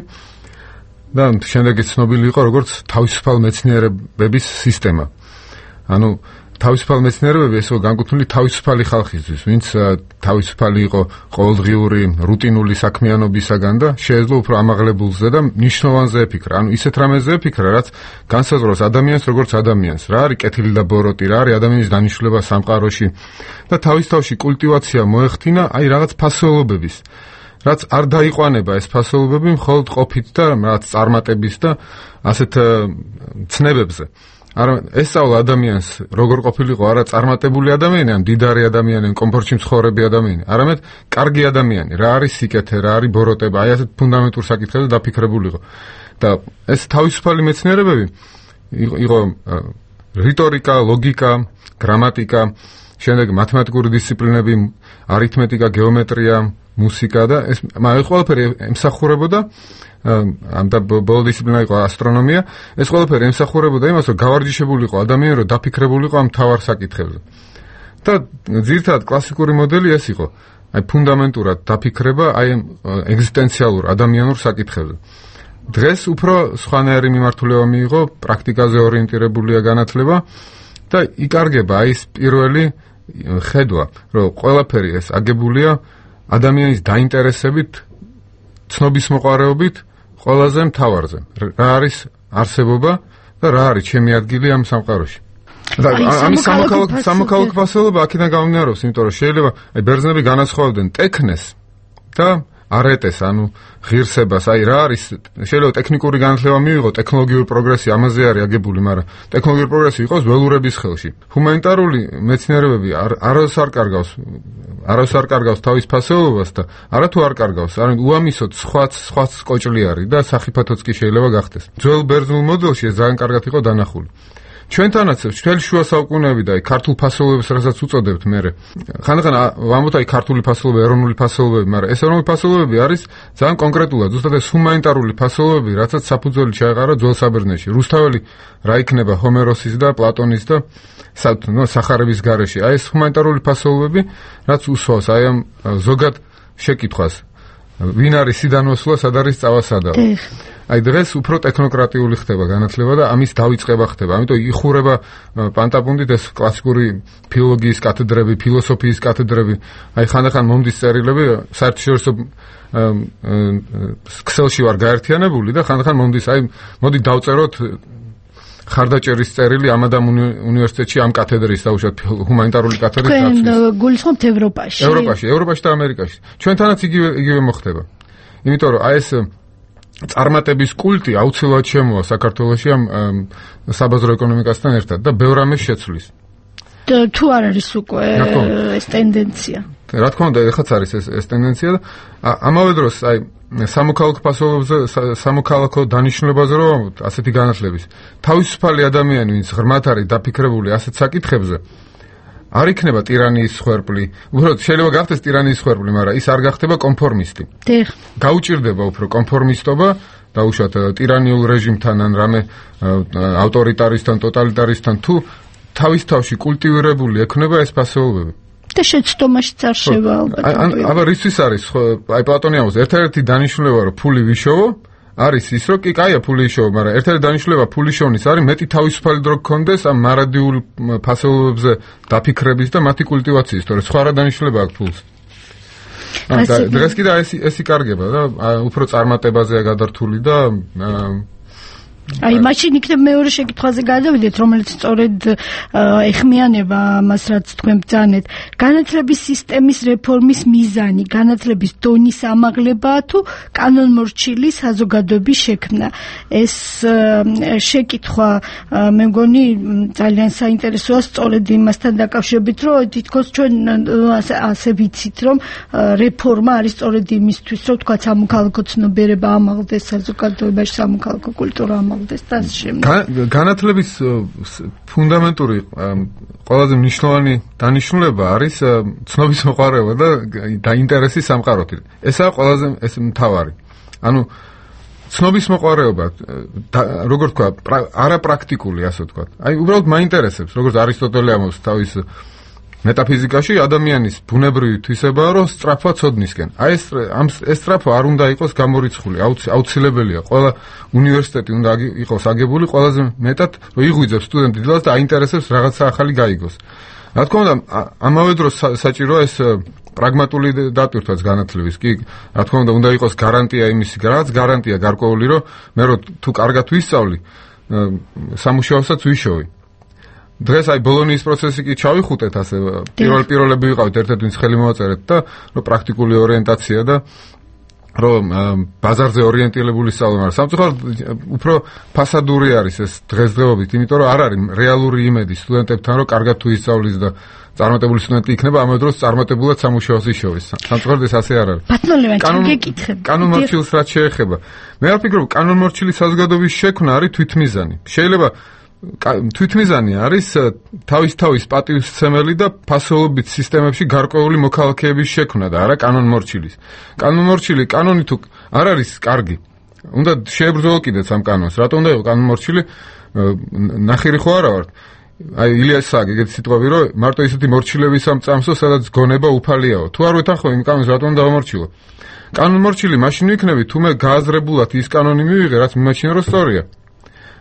S15: და შემდეგ ცნობილი იყო როგორც თავისუფალ მეცნიერებების სისტემა. ანუ თავისუფალ მეცნიერებები ესო განკუთვნილი თავისუფალი ხალხისთვის, ვინც თავისუფალი იყო ყოველდღიური რუტინული საქმიანობისაგან და შეეძლო უფრო ამაღლებულზე და მნიშვნელოვანზე ეფიქრა. ანუ ისეთ რამეზე ეფიქრა, რაც განსაზღვრავს ადამიანს როგორც ადამიანს. რა არის კეთილი და ბოროტი, რა არის ადამიანის დანიშნულება სამყაროში და თავის თავში კულტივაცია მოეხდინა აი რაღაც ფასეულობების, რაც არ დაიყვანება ეს ფასეულობები მხოლოდ ყოფით და რაღაც წარმატების და ასეთ ცნებებზე. არა ესწავლა ადამიანს როგორ ყოფილიყო არა წარმატებული ადამიანი, ან მდიდარი ადამიანი, ან კომფორტში მცხოვრები ადამიანი, არამედ კარგი ადამიანი, რა არის სიკეთე, რა არის ბოროტება, აი ასეთ ფუნდამენტურ საკითხებზე დაფიქრებულიყო. და ეს თავისუფალი მეცნიერებები იყო რიტორიკა, ლოგიკა, გრამატიკა, შემდეგ მათემატიკური დისციპლინები, არითმეტიკა, გეომეტრია, მუსიკა და ეს მაგ ყველაფერი ემსახურებოდა ამ და ბოლო დისციპლინა იყო ასტრონომია. ეს ყველაფერი ემსახურებოდა იმას, რომ გავარჯიშებულიყო ადამიანი, რომ დაფიქრებულიყო ამ მთავარ საკითხებზე. და ძირითადად კლასიკური მოდელი ეს იყო, აი ფუნდამენტურად დაფიქრება აი ეგზისტენციალურ ადამიანურ საკითხებზე. დღეს უფრო სხვანაირი მიმართულება მიიღო, პრაქტიკაზე ორიენტირებულია განათლება და იკარგება აი ეს პირველი ხედვა, რომ ყველაფერი ეს აგებულია ადამიანის დაინტერესებით, ცნობის მოყარეობით, ყველაზე მთავარზე. რა არის არსებობა და რა არის ჩემი ადგილი ამ სამყაროში. და ამის სამოქალაქო სამოქალაქო ფასეულობა აქედან გამომდინარეობს, იმიტომ რომ შეიძლება აი ბერძნები განასხვავებდნენ ტექნეს და არეტეს, ანუ ღირსებას. აი რა არის, შეიძლება ტექნიკური განათლება მივიღო, ტექნოლოგიური პროგრესი ამაზე არის აგებული, მაგრამ ტექნოლოგიური პროგრესი იყოს ველურების ხელში. ჰუმანიტარული მეცნიერებები არასდროს არ კარგავს, არასდროს არ კარგავს თავის ფასეულობას და არათუ არ კარგავს, არამედ უამისოდ სხვაც სხვაც კოჭლი არის და სახიფათოც კი შეიძლება გახდეს. ძველ ბერძნულ მოდელში ეს ძალიან კარგად იყო დანახული. ჩვენთანაც მთელი შუა საუკუნეები და აი ქართულ ფასეულობებს რასაც უწოდებთ მე. ხანდახან ვამბობთ აი ქართული ფასეულობა, ეროვნული ფასეულობები, მაგრამ ეს ეროვნული ფასეულობები არის ძალიან კონკრეტულად, ზუსტად ეს ჰუმანიტარული ფასეულობები, რასაც საფუძველი ჩაეყარა ძველ საბერძნეთში. რუსთაველი რა იქნება ჰომეროსის და პლატონის და სახარების გარეშე. აი ეს ჰუმანიტარული ფასეულობები, რაც უსვავს აი ამ ზოგად შეკითხვას. ვინ არის სიდანოსლა, სად არის წავასადაო. აი დღეს უფრო ტექნოკრატიული ხდება განათლება და ამის დავიწყება ხდება. ამიტომ იხურება პანტაპუნდით ეს კლასიკური ფილოლოგიის კათედრები, ფილოსოფიის კათედრები. აი ხანდახან მომდის წერილები, საერთაშორისო ქსელში ვარ გაერთიანებული და ხანდახან მომდის, აი მოდი დავწეროთ ხარდაჭერის წერილი ამადამ უნივერსიტეტში ამ კათედრის დაუშვათ ჰუმანიტარული კათედრის დაცვის.
S14: თქვენ გულისხმობთ ევროპაში?
S15: ევროპაში, ევროპაში და ამერიკაში. ჩვენთანაც იგივე იგივე მოხდება. იმიტომ რომ აი ეს წარმატების კულტი აუცილებლად შემოვა საქართველოში ამ საბაზრო ეკონომიკასთან ერთად და ბევრ ამას შეცვლის.
S14: თუ არ არის უკვე ეს ტენდენცია?
S15: რა თქმა უნდა, ეხაც არის ეს ეს ტენდენცია და ამავე დროს აი სამოქალაქო ფასეულობებზე, სამოქალაქო დანიშნულებაზე რომ ასეთი განათლების თავისუფალი ადამიანი, ვინც ღრმად არის დაფიქრებული ასეთ საკითხებზე, არ იქნება ტირანიის სხვერპლი. უბრალოდ შეიძლება გახდეს ტირანიის სხვერპლი, მაგრამ ის არ გახდება კონფორმისტი.
S14: დიახ.
S15: გაუჭირდება უფრო კონფორმისტობა, დაუშვათ ტირანიულ რეჟიმთან ან რამე ავტორიტარისტთან, ტოტალიტარისტთან, თუ თავის თავში კულტივირებული ექნება ეს ფასეულობები.
S14: და შეცდომაშიც არ შევა ალბათ.
S15: აბა რისთვის არის? აი პლატონი ამბობს, ერთ-ერთი დანიშნულება რომ ფული ვიშოვო, არის ის რომ კი კაია ფული იშოვო, მაგრამ ერთ-ერთი დანიშნულება ფული შოვნის არის მეტი თავისუფალი დრო გქონდეს ამ მარადიულ ფასეულობებზე დაფიქრების და მათი კულტივაციის, თორე სხვა რა დანიშნულება აქვს ფულს. დღეს კიდე ეს ეს იკარგება და უფრო წარმატებაზეა გადართული და
S14: აი მაშინ იქნებ მეორე შეკითხვაზე გადავიდეთ, რომელიც სწორედ ეხმიანება ამას, რაც თქვენ ბრძანეთ. განათლების სისტემის რეფორმის მიზანი, განათლების დონის ამაღლებაა თუ კანონმორჩილი საზოგადოების შექმნა? ეს შეკითხვა მე მგონი ძალიან საინტერესოა სწორედ იმასთან დაკავშირებით, რომ თითქოს ჩვენ ასე ვიცით, რომ რეფორმა არის სწორედ იმისთვის, რომ თქვა სამოქალაქო ცნობიერება ამაღლდეს საზოგადოებაში, სამოქალაქო კულტურა ამაღლდეს. წარმოგდეს და ამ შემდეგ.
S15: განათლების ფუნდამენტური ყველაზე მნიშვნელოვანი დანიშნულება არის ცნობის მოყვარეობა და დაინტერესი სამყაროთი. ესაა ყველაზე ეს მთავარი. ანუ ცნობის მოყვარეობა, როგორ თქვა, არაპრაქტიკული, ასე ვთქვა. აი, უბრალოდ მაინტერესებს, როგორც არისტოტელე ამბობს თავის მეტაფიზიკაში, ადამიანის ბუნებრივი თვისებაა, რომ სწრაფვა ცოდნისკენ. აი ეს ამ ეს სწრაფვა არ უნდა იყოს გამორიცხული, აუცილებელია. ყველა უნივერსიტეტი უნდა იყოს აგებული ყველაზე მეტად, რომ იღვიძებს სტუდენტი დილას და აინტერესებს რაღაცა ახალი გაიგოს. რა თქმა უნდა, ამავე დროს საჭიროა ეს პრაგმატული დატვირთვაც განათლების. კი, რა თქმა უნდა, უნდა იყოს გარანტია იმისი, რაღაც გარანტია გარკვეული, რომ მე რო თუ კარგად ვისწავლი, სამუშაოსაც ვიშოვი. დღეს აი ბოლონიის პროცესი კი ჩავიხუტეთ ასე პირველ პირველები ვიყავით ერთ-ერთ ვინც ხელი მოვაწერეთ და რომ პრაქტიკული ორიენტაცია და რომ ბაზარზე ორიენტირებული სწავლა, მაგრამ სამწუხაროდ უფრო ფასადური არის ეს დღესდღეობით, იმიტომ რომ არ არის რეალური იმედი სტუდენტებთან, რომ კარგად თუ ისწავლის და წარმატებული სტუდენტი იქნება, ამავე დროს წარმატებულად სამუშაოს იშოვის. სამწუხაროდ ეს ასე არ არის.
S14: ბატონო ლევან, გეკითხები.
S15: კანონმორჩილს რაც შეეხება. მე ვფიქრობ, კანონმორჩილის საზოგადოების შექმნა არის თვითმიზანი. შეიძლება თვითმიზანი არის თავის თავის პატივსცემელი და ფასეულობით სისტემებში გარკვეული მოქალაქეების შექმნა და არა კანონმორჩილის. კანონმორჩილი კანონი თუ არ არის კარგი, უნდა შეებრძოლო კიდეც ამ კანონს. რატომ უნდა იყოს კანონმორჩილი? ნახირი ხო არა ვარ. აი ილიას საგი ეგეთი სიტყვები, რომ მარტო ისეთი მორჩილების ამ წამსო, სადაც გონება უფალიაო. თუ არ ვეთანხმო იმ კანონს, რატომ დავამორჩილო? კანონმორჩილი მაშინ ვიქნები, თუ მე გააზრებულად ის კანონი მივიღე, რაც მიმაჩნია რომ სწორია.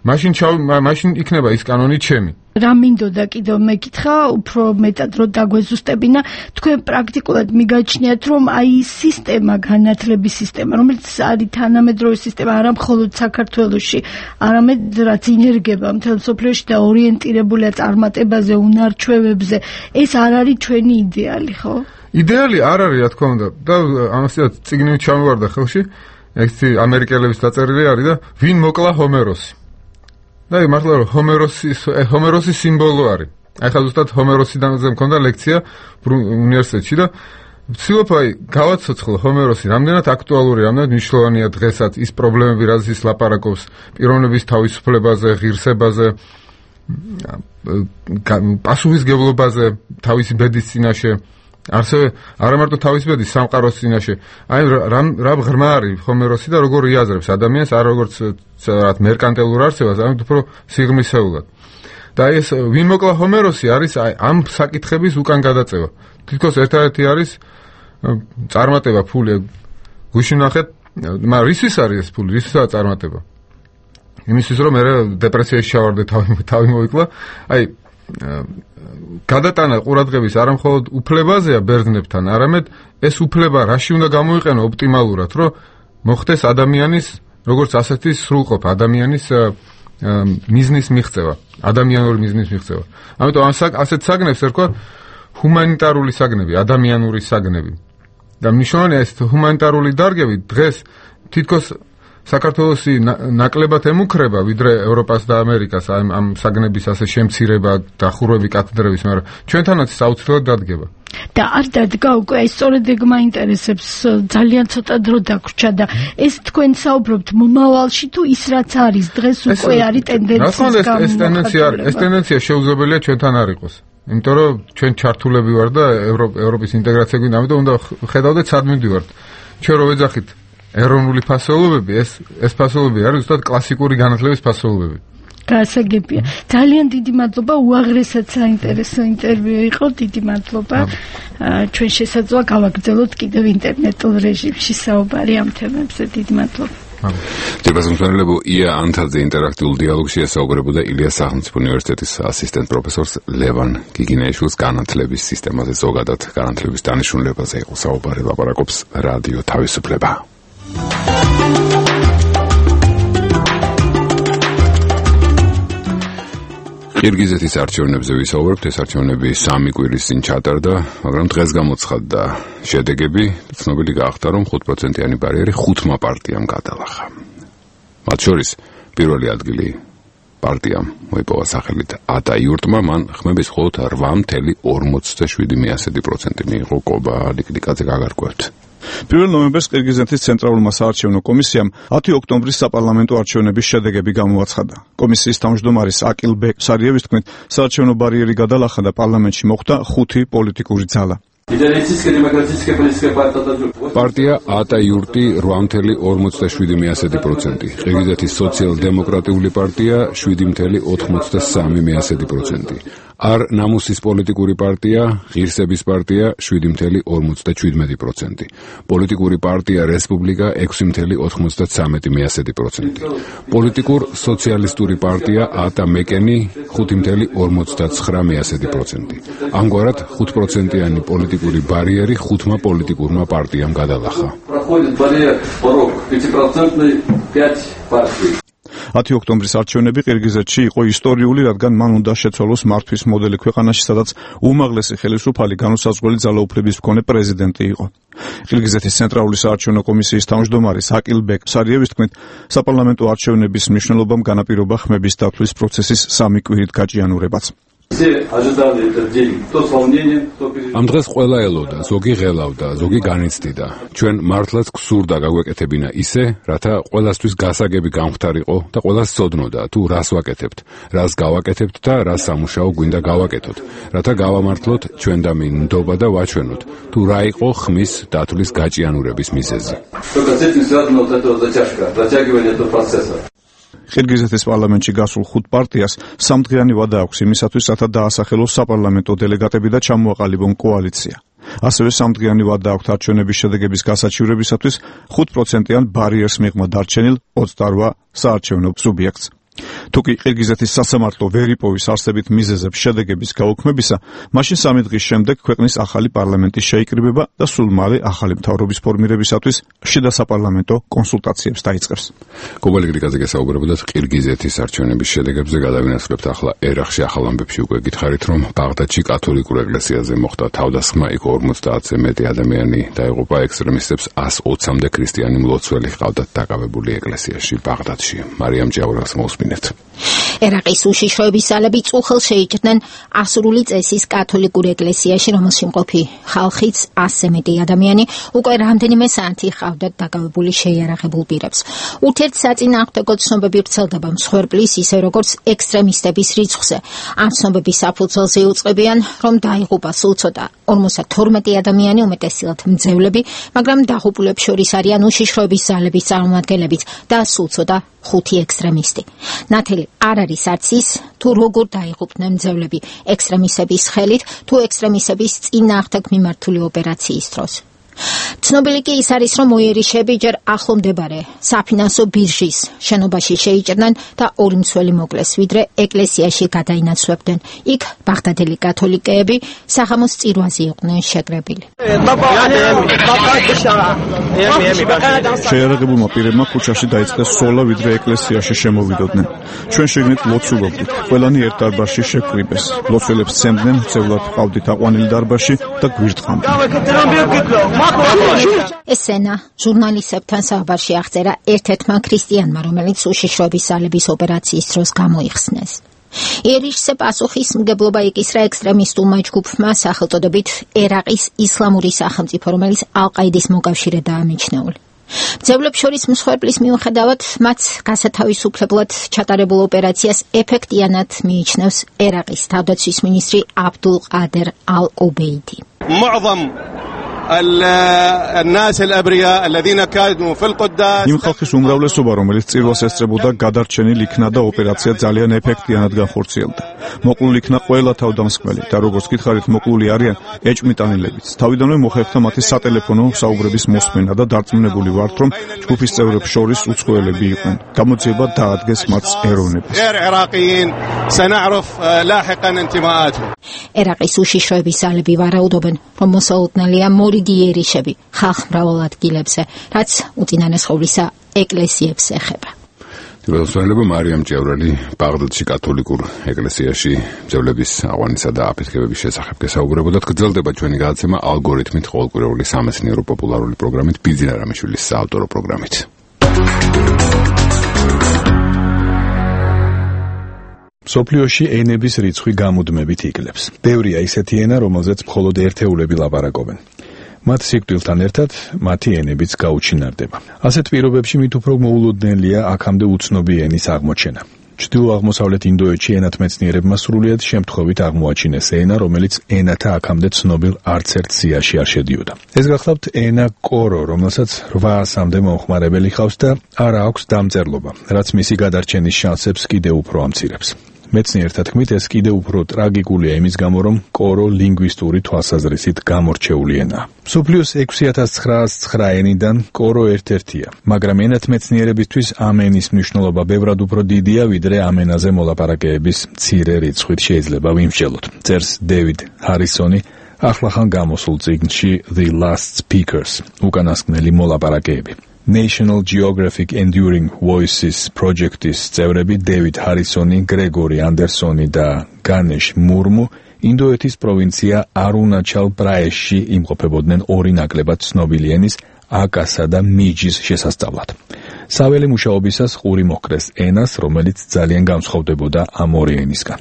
S15: მაშინ ჩავ მაშინ იქნება ის კანონი ჩემი.
S14: რა მინდოდა კიდევ მეკითხა, უფრო მეტად რომ დაგვეზუსტებინა, თქვენ პრაქტიკულად მიგაჩნიათ, რომ აი ის სისტემა, განათლების სისტემა, რომელიც არის თანამედროვე სისტემა, არა მხოლოდ საქართველოში, არამედ რაც ინერგება მთელ მსოფლიოში და ორიენტირებულია წარმატებაზე, უნარჩვევებზე, ეს არ არის ჩვენი იდეალი, ხო?
S15: იდეალი არ არის, რა თქმა უნდა. და ამასაც წიგნი ჩამოვარდა ხელში, ეგეთი ამერიკელების დაწერილი არის და ვინ მოკლა ჰომეროსი. და მართლა რომ ჰომეროსის ჰომეროსის სიმბოლო არის. აი ხა ზუსტად ჰომეროსიდან მქონდა ლექცია უნივერსიტეტში და ვცდილობ აი გავაცოცხლო ჰომეროსი რამდენად აქტუალური, რამდენად მნიშვნელოვანია დღესაც ის პრობლემები, რაც ის ლაპარაკობს პიროვნების თავისუფლებაზე, ღირსებაზე, პასუხისმგებლობაზე, თავისი ბედის წინაშე, ასევე არა მარტო თავისი ბედის, სამყაროს წინაშე. აი რა ღრმა არის ჰომეროსი და როგორ იაზრებს ადამიანს, არ როგორც რაღაც მერკანტილურ არსებას, ამით უფრო სიღრმისეულად. და აი ეს ვინ მოკლა ჰომეროსი არის აი ამ საკითხების უკან გადაწევა. თითქოს ერთადერთი არის წარმატება, ფული. გუშინ ნახეთ, მაგრამ რისთვის არის ეს ფული, რისთვისაც წარმატება? იმისთვის რომ მე დეპრესიაში ჩავარდე, თავი თავი მოვიკლა. აი გადატანა ყურადღების არა მხოლოდ უფლებაზეა ბერძნებთან, არამედ ეს უფლება რაში უნდა გამოიყენო ოპტიმალურად, რომ მოხდეს ადამიანის როგორც ასეთი სრულყოფა, ადამიანის მიზნის მიღწევა, ადამიანური მიზნის მიღწევა. ამიტომ ასეთ საგნებს ერქვა ჰუმანიტარული საგნები, ადამიანური საგნები. და მნიშვნელოვანია ეს ჰუმანიტარული დარგები დღეს თითქოს საქართველოსი ნაკლებად ემუქრება ვიდრე ევროპას და ამერიკას ამ ამ საგნების ასე შემცირება, დახურვები კათედრების, მაგრამ ჩვენთანაც საოცრად დადგება.
S14: და არ დადგა უკვე, ეს სწორედ ეგ მაინტერესებს, ძალიან ცოტა დრო დაგვრჩა და ეს თქვენ საუბრობთ მომავალში თუ ის რაც არის დღეს უკვე არის ტენდენციის გამო.
S15: ეს ტენდენცია ეს ტენდენცია შეუძლებელია ჩვენთან არ იყოს. იმიტომ რომ ჩვენ ჩართულები ვარ და ევროპის ინტეგრაცია გვინდა, ამიტომ უნდა ხედავდეთ სად მივდივართ. ჩვენ რო ვეძახით ეროვნული ფასეულობები, ეს ეს ფასეულობები არის ზუსტად კლასიკური განათლების ფასეულობები.
S14: გასაგებია. ძალიან დიდი მადლობა, უაღრესად საინტერესო ინტერვიუ იყო, დიდი მადლობა. ჩვენ შესაძლოა გავაგრძელოთ კიდევ ინტერნეტულ რეჟიმში საუბარი ამ თემებზე. დიდი მადლობა.
S1: ჯერბაზმსმენელებო ია ანთაძე ინტერაქტიულ დიალოგში ესაუბრებოდა ილიას სახელმწიფო უნივერსიტეტის ასისტენტ პროფესორს ლევან გიგინეიშვილს განათლების სისტემაზე, ზოგადად განათლების დანიშნულებაზე იყო საუბარი, ლაპარაკობს რადიო თავისუფლება. ყირგიზეთის არჩევნებზე ვისაუბრებთ, ეს არჩევნები სამი კვირის წინ ჩატარდა, მაგრამ დღეს გამოცხადდა შედეგები, ცნობილი გახდა, რომ ხუთ პროცენტიანი ბარიერი ხუთმა პარტიამ გადალახა. მათ შორის პირველი ადგილი პარტიამ მოიპოვა სახელით ატა იურტმა, მან ხმების მხოლოდ რვა ორმოცდაშვიდი პროცენტი მიიღო. კობა ლიკლიკაძე გაგარკვევთ.
S16: პირველ ნოემბერს ყირგიზეთის ცენტრალურმა საარჩევნო კომისიამ ათი ოქტომბრის საპარლამენტო არჩევნების შედეგები გამოაცხადა. კომისიის თავმჯდომარის აკილბეკ სარიევის თქმით, საარჩევნო ბარიერი გადალახა და პარლამენტში მოხვდა ხუთი პოლიტიკური ძალა.
S1: პარტია ატა იურტი რვა წელი ორმოცდაშვიდი მიასედი პროცენტი, ყირგიზეთის სოციალ-დემოკრატიული პარტია შვიდი წელი ოთხმოცდასამი მიასედი პროცენტი, არ ნამუსის პოლიტიკური პარტია, ღირსების პარტია შვიდი წელი ორმოცდაჩვიდმეტი პროცენტი, პოლიტიკური პარტია რესპუბლიკა ექვსი წელი ოთხმოცდათვრამეტი მიასედი პროცენტი, პოლიტიკურ სოციალისტური პარტია ატა მეკენი ხუთი წელი ორმოცდაცხრა მიასედი პროცენტი. ამგვარად ხუთ პროცენტიანი პოლიტიკური ბარიერი ხუთმა პოლიტიკურმა პარტიამ გადალახა.
S16: ათი ოქტომბრის არჩევნები ყირგიზეთში იყო ისტორიული, რადგან მან უნდა შეცვალოს მართვის მოდელი ქვეყანაში, სადაც უმაღლესი ხელისუფალი განუსაზღვრელი ძალაუფლების მქონე პრეზიდენტი იყო. ყირგიზეთის ცენტრალური საარჩევნო კომისიის თავმჯდომარის აკილბეკ სარიევის თქმით, საპარლამენტო არჩევნების მნიშვნელობამ განაპირობა ხმების დათვლის პროცესის სამი კვირით გაჭიანურებაც.
S1: ამ დღეს ყველა ელოდა, ზოგი ღელავდა, ზოგი განიცდიდა. ჩვენ მართლაც გსურდა გაგვეკეთებინა ისე, რათა ყველასთვის გასაგები გამختარიყო და ყველას ცოდნოდა, თუ რას ვაკეთებთ, რას გავაკეთებთ და რა სამუშაო გვინდა გავაკეთოთ, რათა გავამართლოთ ჩვენდამი ნდობა და ვაჩვენოთ, თუ რა იყო ხმის დათვლის გაჭიანურების მიზეზი.
S16: ყირგიზეთის პარლამენტში გასულ ხუთ პარტიას სამდღიანი ვადა აქვს იმისათვის, რათა დაასახელოს საპარლამენტო დელეგატები და ჩამოაყალიბონ კოალიცია. ასევე სამდღიანი ვადა აქვს არჩევნების შედეგების გასაჩივრებისათვის ხუთ პროცენტიან ბარიერს მიღმა დარჩენილ ოცდაორვა საარჩევნო სუბიექტს. თუკი ყირგიზეთის სასამართლო ვერ იპოვის არსებით მიზეზებს შედეგების გაუქმებისა, მაშინ სამი დღის შემდეგ ქვეყნის ახალი პარლამენტი შეიკრიბება და სულ მალე ახალი მთავრობის ფორმირებისათვის შიდა საპარლამენტო კონსულტაციებს დაიწყებს.
S1: გობალი გრიგაძე გესაუბრებოდათ ყირგიზეთის არჩევნების შედეგებზე. გადავინაცვლებთ ახლა ერახში ახალ ამბებში უკვე გითხარით, რომ ბაღდადში კათოლიკურ ეკლესიაზე მოხდა თავდასხმა, იქ ორმოცდაათზე მეტი ადამიანი დაიღუპა, ექსტრემისტებს ას ოცამდე ქრისტიანი მლოცველი ჰყავდათ დაკავებული ეკლესიაში ბაღდადში. მარიამ ჭიაურას მოუსმინეთ.
S17: ერაყის უშიშროების ძალები წუხელს შეიჭრნენ ასურული წესის კათოლიკურ ეკლესიაში, რომელში მყოფი ხალხიც ასზე მეტი ადამიანი უკვე რამდენიმე საათი ჰყავდათ დაკავებული შეიარაღებულ პირებს. ურთიერთსაწინააღმდეგო ცნობები ვრცელდება მსხვერპლის, ისე როგორც ექსტრემისტების რიცხვზე. ამ ცნობების საფუძველზე იუწყებიან, რომ დაიღუპა სულ ცოტა ორმოცდათორმეტი ადამიანი, უმეტესწილად მძევლები, მაგრამ დაღუპულებს შორის არიან უშიშროების ძალების წარმომადგენლებიც და სულ ცოტა ხუთი ექსტრემისტი. ნათელი არ არის არც ის, თუ როგორ დაიღუპნენ მძევლები ექსტრემისტების ხელით, თუ ექსტრემისტების წინააღმდეგ მიმართული ოპერაციის დროს. ცნობილი კი ის არის, რომ მოიერიშები ჯერ ახლო მდებარე საფინანსო ბირჟის შენობაში შეიჭრნენ და ორი მცველი მოკლეს, ვიდრე ეკლესიაში გადაინაცვლებდნენ. იქ ბაღდადელი კათოლიკეები საღამოს წირვაზე იყვნენ შეკრებილი.
S16: შეიარაღებულმა პირებმა ქუჩაში დაიწყეს სოლა, ვიდრე ეკლესიაში შემოვიდოდნენ. ჩვენ შეგნით ლოცულობდით, ყველანი ერთ დარბაზში შეკრიბეს. ლოცველებს სცემდნენ, მცევლად ჰყავდით აყვანილი დარბაზში და გვირთხამდნენ.
S17: ესენა ჟურნალისტებთან საუბარში აღწერა ერთ-ერთმა ქრისტიანმა, რომელიც უშიშროების ძალების ოპერაციის დროს გამოიხსნეს. იერიშზე პასუხისმგებლობა იკისრა ექსტრემისტულმა ჯგუფმა სახელწოდებით ერაყის ისლამური სახელმწიფო, რომელიც ალ-ყაიდის მოკავშირედაა მიჩნეული. მძევლებს შორის მსხვერპლის მიუხედავად, მათ გასათავისუფლებლად ჩატარებულ ოპერაციას ეფექტიანად მიიჩნევს ერაყის თავდაცვის მინისტრი აბდულ ყადერ ალ-უბეიდი.
S16: იმ ხალხის უმრავლესობა, რომელიც წირვას ესწრებოდა, გადარჩენილ იქნა და ოპერაცია ძალიან ეფექტიანად განხორციელდა. მოკლული იქნა ყველა თავდამსხმელი და როგორც გითხარით, მოკლული არიან ეჭმიტანილებიც. თავიდანვე მოხერხდა მათი სატელეფონო საუბრების მოსმენა და დარწმუნებული ვართ, რომ ჯგუფის წევრებს შორის უცხოელები იყვნენ. გამოძიება დაადგეს მათ ეროვნებას.
S17: ერაყის უშიშროების ძალები ვარაუდობენ, რომ მოსალოდნელია მორიგი იერიშები ხალხმრავალ ადგილებზე, რაც უწინარესხოვლისა ეკლესიებს ეხება.
S1: თვითმფრინავა მარიამ ჭიაურელი ბაღდადში კათოლიკურ ეკლესიაში მძევლების აყვანისა და აფეთქებების შესახებ გესაუბრებოდათ. გრძელდება ჩვენი გადაცემა ალგორითმით, ყოველკვირეული სამეცნიერო პოპულარული პროგრამით, ბიძინა რამიშვილის საავტორო პროგრამით.
S18: სოფლიოში ენების რიცხვი გამუდმებით იკლებს. ბევრია ისეთი ენა, რომელზეც მხოლოდ ერთეულები ლაპარაკობენ. მათ სიკვდილთან ერთად მათი ენებიც გაუჩინარდება. ასეთ პირობებში მით უფრო მოულოდნელია აქამდე უცნობი ენის აღმოჩენა. ჩრდილო-აღმოსავლეთ ინდოეთში ენათმეცნიერებმა სრულიად შემთხვევით აღმოაჩინეს ენა, რომელიც ენათა აქამდე ცნობილ არცერთ სიაში არ შედიოდა. ეს გახლავთ ენა კორო, რომელსაც რვაასამდე მომხმარებელი ჰყავს და არ აქვს დამწერლობა, რაც მისი გადარჩენის შანსებს კიდევ უფრო ამცირებს. მეცნიერთა თქმით, ეს კიდევ უფრო ტრაგიკულია იმის გამო, რომ კორო ლინგვისტური თვალსაზრისით გამორჩეული ენაა. მსოფლიოს ექვსი ათას ცხრაას ცხრა ენიდან კორო ერთ-ერთია, მაგრამ ენათმეცნიერებისთვის ამ ენის მნიშვნელობა ბევრად უფრო დიდია, ვიდრე ამ ენაზე მოლაპარაკეების მცირე რიცხვით შეიძლება ვიმსჯელოთ. წერს დევიდ ჰარისონი ახლახან გამოსულ წიგნში The Last Speakers, უკანასკნელი მოლაპარაკეები. National Geographic Enduring Voices პროექტის წევრები დევიდ ჰარისონი, გრეგორი ანდერსონი და განეშ მურმუ ინდოეთის პროვინცია არუნაჩალ პრაეშში იმყოფებოდნენ ორი ნაკლებად ცნობილი ენის აკასა და მიჯის შესასწავლად. საველე მუშაობისას ყური მოჰკრეს ენას, რომელიც ძალიან განსხვავდებოდა ამ ორი ენისგან.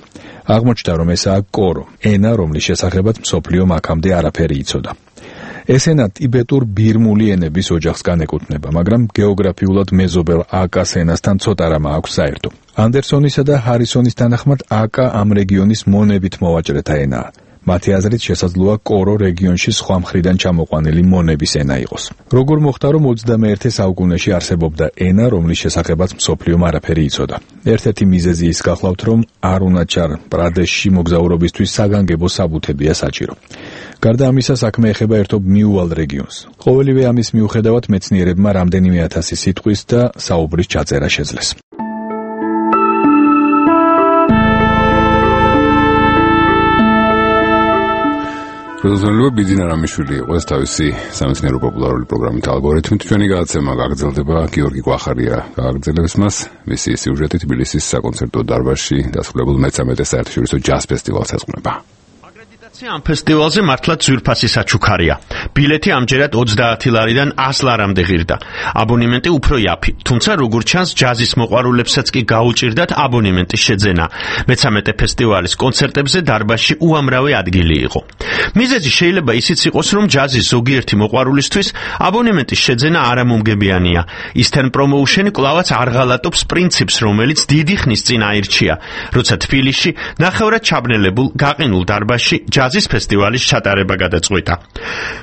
S18: აღმოჩნდა, რომ ესაა კორო, ენა, რომლის შესახებაც მსოფლიომ აქამდე არაფერი იცოდა. ეს ენა ტიბეტურ ბირმული ენების ოჯახს განეკუთვნება, მაგრამ გეოგრაფიულად მეზობელ აკას ენასთან ცოტა რამ აქვს საერთო. ანდერსონისა და ჰარისონის თანახმად აკა ამ რეგიონის მონებით მოვაჭრეთა ენაა. მათი აზრით შესაძლოა კორო რეგიონში სხვა მხრიდან ჩამოყვანილი მონების ენა იყოს. როგორ მოხდა, რომ ოცდამეერთე საუკუნეში არსებობდა ენა, რომლის შესახებაც მსოფლიომ არაფერი იცოდა. ერთ-ერთი მიზეზი ის გახლავთ, რომ არუნაჩალ პრადეშში მოგზაურობისთვის საგანგებო საბუთებია საჭირო. გარდა ამისა, საქმე ეხება ერთობ მიუვალ რეგიონს. ყოველივე ამის მიუხედავად მეცნიერებმა რამდენიმე ათასი სიტყვის და საუბრის ჩაწერა შეძლეს.
S1: პროდუცერმა ბიძინა რამიშვილი იყო ეს თავისი სამეცნიერო პოპულარული პროგრამით ალგორითმით. ჩვენი გადაცემა გაგრძელდება, გიორგი კვახარია გააგრძელებს მას. მისი სიუჟეტი თბილისის საკონცერტო დარბაზში დასრულებულ მესამედე საერთაშორისო ჯაზ ფესტივალს ეძღვნება.
S19: ამ ფესტივალზე მართლაც ძვირფასი საჩუქარია. ბილეთი ამჯერად ოცდაათი ლარიდან ას ლარამდე ღირდა. აბონემენტი უფრო იაფი, თუმცა როგორც ჩანს, ჯაზის მოყვარულებსაც კი გაუჭირდათ აბონემენტის შეძენა. მეცამეტე ფესტივალის კონცერტებზე დარბაზში უამრავი ადგილი იყო. მიზეზი შეიძლება ისიც იყოს, რომ ჯაზის ზოგიერთი მოყვარულისთვის აბონემენტის შეძენა არამომგებიანია. Eastern Promotion კვლავაც არ ღალატობს პრინციპს, რომელიც დიდი ხნის წინ აირჩია, როცა თბილისში ნახევრად ჩაბნელებულ გაყინულ დარბაზში ჯაზის ფესტივალის ჩატარება გადაწყვიტა.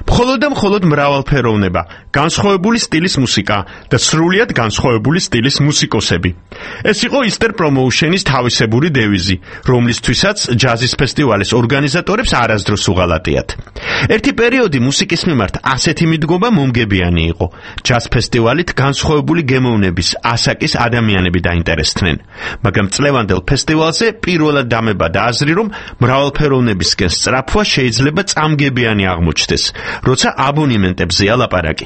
S19: მხოლოდ და მხოლოდ მრავალფეროვნება, განსხვავებული სტილის მუსიკა და სრულიად განსხვავებული სტილის მუსიკოსები. ეს იყო Eastern Promotion-ის თავისებური დევიზი, რომლისთვისაც ჯაზის ფესტივალის ორგანიზატორებს არასდროს უღალატიათ. ერთი პერიოდი მუსიკის მიმართ ასეთი მიდგომა მომგებიანი იყო. ჯაზ ფესტივალით განსხვავებული გემოვნების ასაკის ადამიანები დაინტერესდნენ, მაგრამ წლევანდელ ფესტივალზე პირველად დამებადა აზრი, რომ მრავალფეროვნებისკენ სწრაფვა შეიძლება წამგებიანი აღმოჩნდეს, როცა აბონემენტებზეა ლაპარაკი.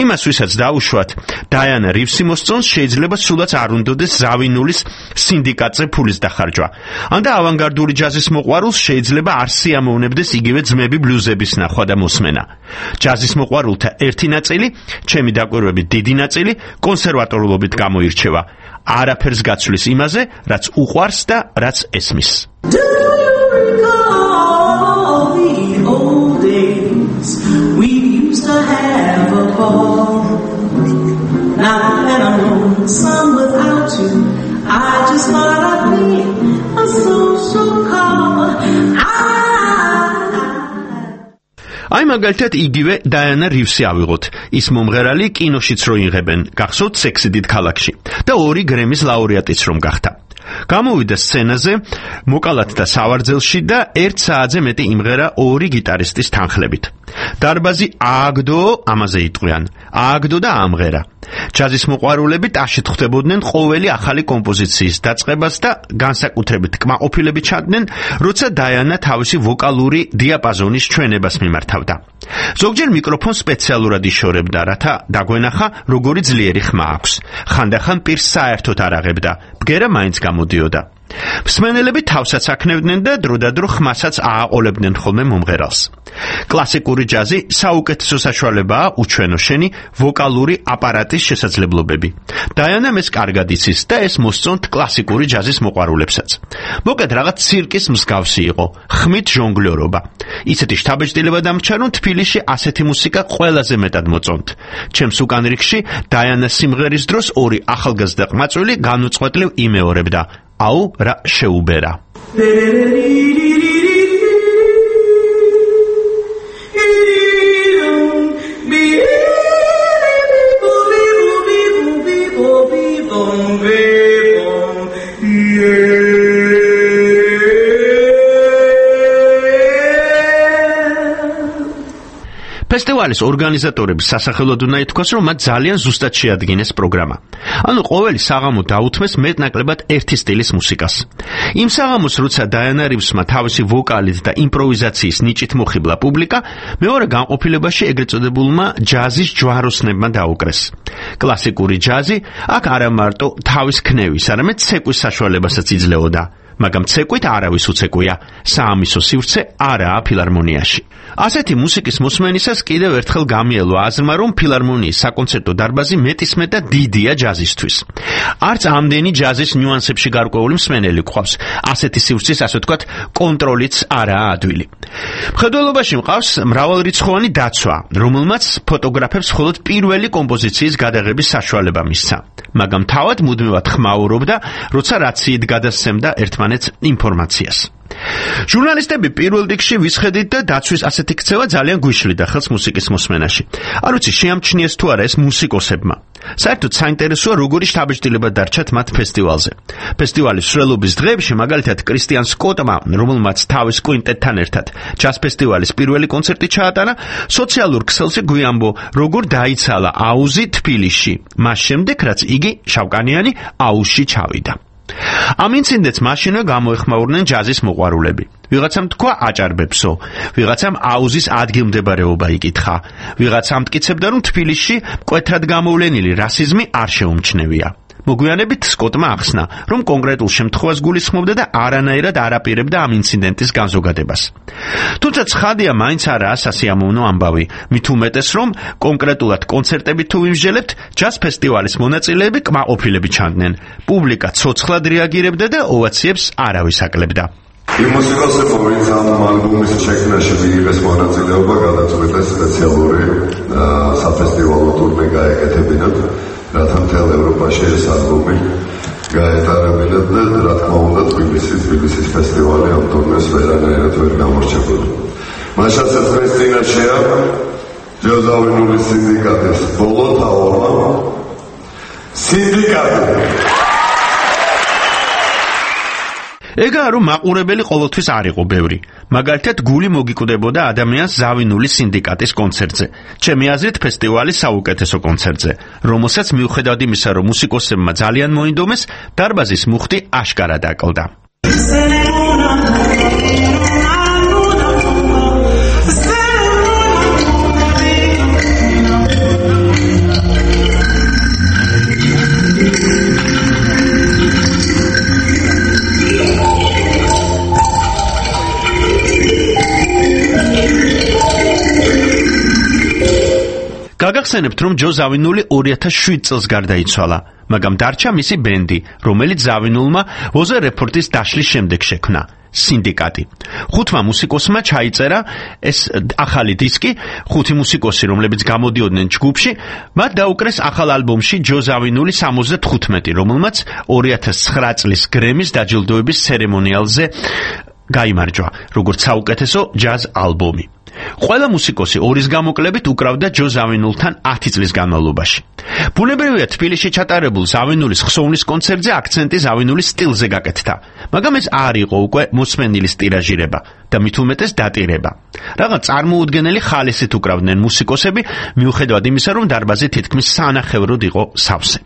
S19: იმას, ვისაც დაუშვათ, დაიანა რივსი მოსწონს, შეიძლება სულაც არ უნდოდეს ზავინულის სინდიკატზე ფულის დახარჯვა. ან და ავანგარდული ჯაზის მოყვარულს შეიძლება არ სიამოვნებდეს იგივე ძმები ბლუზების ნახვა და მოსმენა. ჯაზის მოყვარულთა ერთი ნაწილი, ჩემი დაკვირვებით დიდი ნაწილი, კონსერვატორულობით გამოირჩევა. არაფერს გაცვლის იმაზე, რაც უყვარს და რაც ესმის.
S20: We used to have a ball. Now that I'm lonesome without you, I just thought I'd be a social call.
S19: აი მაგალითად იგივე დაიანა რივსი ავიღოთ. ის მომღერალი კინოშიც რო იღებენ, გახსოვთ სექსიდით ქალაქში და ორი გრემის ლაურეატიც რომ გახდა. გამოვიდა სცენაზე, მოკალათ და სავარძელში და ერთ საათზე მეტი იმღერა ორი გიტარისტის თანხლებით. დარბაზი ააგდო, ამაზე იტყვიან, ააგდო და ამღერა. ჯაზის მოყვარულები ტაშით ხვდებოდნენ ყოველი ახალი კომპოზიციის დაწყებას და განსაკუთრებით კმაყოფილებით ჩანდნენ, როცა დაიანა თავისი ვოკალური დიაპაზონის ჩვენებას მიმართავდა. ზოგჯერ მიკროფონს სპეციალურად იშორებდა, რათა დაგვენახა, როგორი ძლიერი ხმა აქვს. ხანდახან პირს საერთოდ არ აღებდა, ბგერა მაინც გამოდიოდა. მსმენელები თავსაც აქნევდნენ და დროდადრო ხმასაც ააყოლებდნენ ხოლმე მომღერალს. კლასიკური ჯაზი საუკეთესო საშუალებაა უჩვენო შენი ვოკალური აპარატის შესაძლებლობები. დაიანამ ეს კარგად იცის და ეს მოსწონთ კლასიკური ჯაზის მოყვარულებსაც. მოკლედ რაღაც ცირკის მსგავსი იყო, ხმით ჟონგლიორობა. ისეთი შთაბეჭდილება დამრჩა, რომ თბილისში ასეთი მუსიკა ყველაზე მეტად მოწონთ. ჩემს უკან რიგში დაიანას სიმღერის დროს ორი ახალგაზრდა ყმაწვილი განუწყვეტლივ იმეორებდა. აუ რა შეუბერა. ფესტივალის ორგანიზატორების სასახელოდ უნდა ითქვას, რომ მათ ძალიან ზუსტად შეადგინეს პროგრამა. ანუ ყოველი საღამო დაუთმეს მეტნაკლებად ერთი სტილის მუსიკას. იმ საღამოს, როცა დაიანა რივსმა თავისი ვოკალით და იმპროვიზაციის ნიჭით მოხიბლა პუბლიკა, მეორე განყოფილებაში ეგრეთ წოდებულმა ჯაზის ჯვაროსნებმა დაუკრეს. კლასიკური ჯაზი აქ არა მარტო თავის ქნევის, არამედ ცეკვის საშუალებასაც იძლეოდა. მაგრამ ცეკვით არავის უცეკვია, საამისო სივრცე არაა ფილარმონიაში. ასეთი მუსიკის მოსმენისას კიდევ ერთხელ გამიელო აზრმა, რომ ფილარმონიის საკონცერტო დარბაზი მეტისმეტ და დიდია ჯაზისთვის. არც ამდენი ჯაზის ნიუანსებში გარკვეული მსმენელი გვყავს. ასეთი სივრცის, ასე ვთქვათ, კონტროლიც არაა ადვილი. მხედველობაში მყავს მრავალრიცხოვანი დაცვა, რომელმაც ფოტოგრაფებს მხოლოდ პირველი კომპოზიციის გადაღების საშუალება მისცა. მაგრამ თავად მუდმივად ხმაურობდა, როცა რაციით გადასცემდა ერთმანეთს ინფორმაციას. ჟურნალისტები პირველ რიგში ვისხედით და დაცვის ასეთი ქცევა ძალიან გვიშლიდა ხელს მუსიკის მოსმენაში. არ ვიცი, შეამჩნიეს თუ არა ეს მუსიკოსებმა. საერთოდ საინტერესოა, როგორი შთაბეჭდილება დარჩათ მათ ფესტივალზე. ფესტივალის მსვლელობის დღეებში, მაგალითად, კრისტიან სკოტმა, რომელმაც თავის კვინტეტთან ერთად ჯაზ ფესტივალის პირველი კონცერტი ჩაატარა, სოციალურ ქსელზე გვიამბო, როგორ დაიცალა აუზი თბილისში, მას შემდეგ, რაც იგი შავკანიანი აუზში ჩავიდა. ამ ინციდენტს მაშინვე გამოეხმაურნენ ჯაზის მოყვარულები. ვიღაცამ თქვა აჭარბებსო, ვიღაცამ აუზის ადგილმდებარეობა იკითხა, ვიღაცამ მტკიცებდა, რომ თბილისში მკვეთრად გამოვლენილი რასიზმი არ შეუმჩნევია. მოგვიანებით სკოტმა ახსნა, რომ კონკრეტულ შემთხვევას გულისხმობდა და არანაირად არ აპირებდა ამ ინციდენტის განზოგადებას. თუმცა ცხადია, მაინც არაა სასიამოვნო ამბავი, მით უმეტეს, რომ კონკრეტულად კონცერტებით თუ ვიმსჯელებთ, ჯაზ ფესტივალის მონაწილეები კმაყოფილები ჩანდნენ. პუბლიკა ცოცხლად რეაგირებდა და ოვაციებს არავის აკლებდა.
S21: იმ მუსიკოსებმა, ვინც ამ ალბომის შექმნაში მიიღეს მონაწილეობა, გადაწყვიტეს სპეციალური საფესტივალო ტურნე გაეკეთებინათ, რათა მთელ ევროპაში ეს ალბომი გაეტარებინათ და რა თქმა უნდა თბილისის თბილისის ფესტივალი ამ ტურნეს ვერანაირად ვერ გამორჩებოდა. მას შესაძლოა წინაშეა ჯოზავინულის სინდიკატის ბოლო თაობა სინდიკატი.
S19: ეგაა, რომ მაყურებელი ყოველთვის არ იყო ბევრი. მაგალითად, გული მოგიკვდებოდა ადამიანს ზავინულის სინდიკატის კონცერტზე. ჩემი აზრით, ფესტივალის საუკეთესო კონცერტზე, რომელსაც მიუხედავად იმისა, რომ მუსიკოსებმა ძალიან მოინდომეს, დარბაზის მუხტი აშკარად აკლდა. გაგახსენებთ, რომ ჯო ზავინული ორი ათას შვიდ წელს გარდაიცვალა, მაგრამ დარჩა მისი ბენდი, რომელიც ზავინულმა ვოზე რეპორტის დაშლის შემდეგ შექმნა. სინდიკატი. ხუთმა მუსიკოსმა ჩაიწერა ეს ახალი დისკი, ხუთი მუსიკოსი, რომლებიც გამოდიოდნენ ჯგუფში, მათ დაუკრეს ახალ ალბომში ჯო ზავინული სამოცდათხუთმეტი, რომელმაც ორი ათას ცხრა წლის გრემის დაჯილდოების ცერემონიალზე გაიმარჯვა, როგორც საუკეთესო ჯაზ ალბომი. ყველა მუსიკოსი ორის გამოკლებით უკრავდა ჯო ზავინულთან ათი წლის განმავლობაში. ბუნებრივია, თბილისში ჩატარებულ ზავინულის ხსოვნის კონცერტზე აქცენტი ზავინულის სტილზე გაკეთდა, მაგრამ ეს არ იყო უკვე მოსმენილის ტირაჟირება და მით უმეტეს დატირება. რაღაც წარმოუდგენელი ხალისით უკრავდნენ მუსიკოსები, მიუხედავად იმისა, რომ დარბაზი თითქმის სანახევროდ იყო სავსე.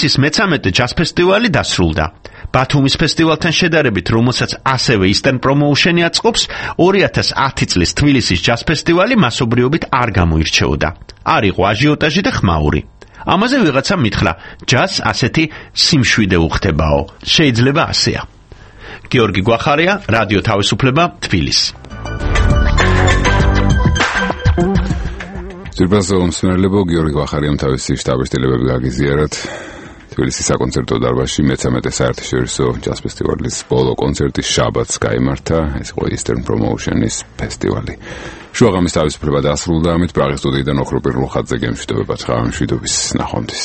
S19: თბილისის მეცამეტე ჯაზ ფესტივალი დასრულდა. ბათუმის ფესტივალთან შედარებით, რომელსაც ასევე Eastern Promotion-ი აწყობს, ორი ათას ათი წლის თბილისის ჯაზ ფესტივალი მასობრიობით არ გამოირჩეოდა. არ იყო აჟიოტაჟი და ხმაური. ამაზე ვიღაცამ მითხრა, ჯაზს ასეთი სიმშვიდე უხდებაო. შეიძლება ასეა. გიორგი გვახარია, რადიო თავისუფლება, თბილისი.
S1: ძირფასო მსმენელებო, გიორგი გვახარიამ თავისი შტაბ-შტილებები გაგიზიარათ თბილისის საკონცერტო დარბაზში მეცამეტე საერთაშორისო ჯაზ ფესტივალის ბოლო კონცერტი შაბათს გაიმართა. ეს იყო Eastern Promotion-ის ფესტივალი. შუაღამის თავისუფლება დასრულდა, ამით პრაღის სტუდიიდან ოქროპირულ ხაზზე გემშვიდობებათ. ხავამშვიდობის ნახვამდის.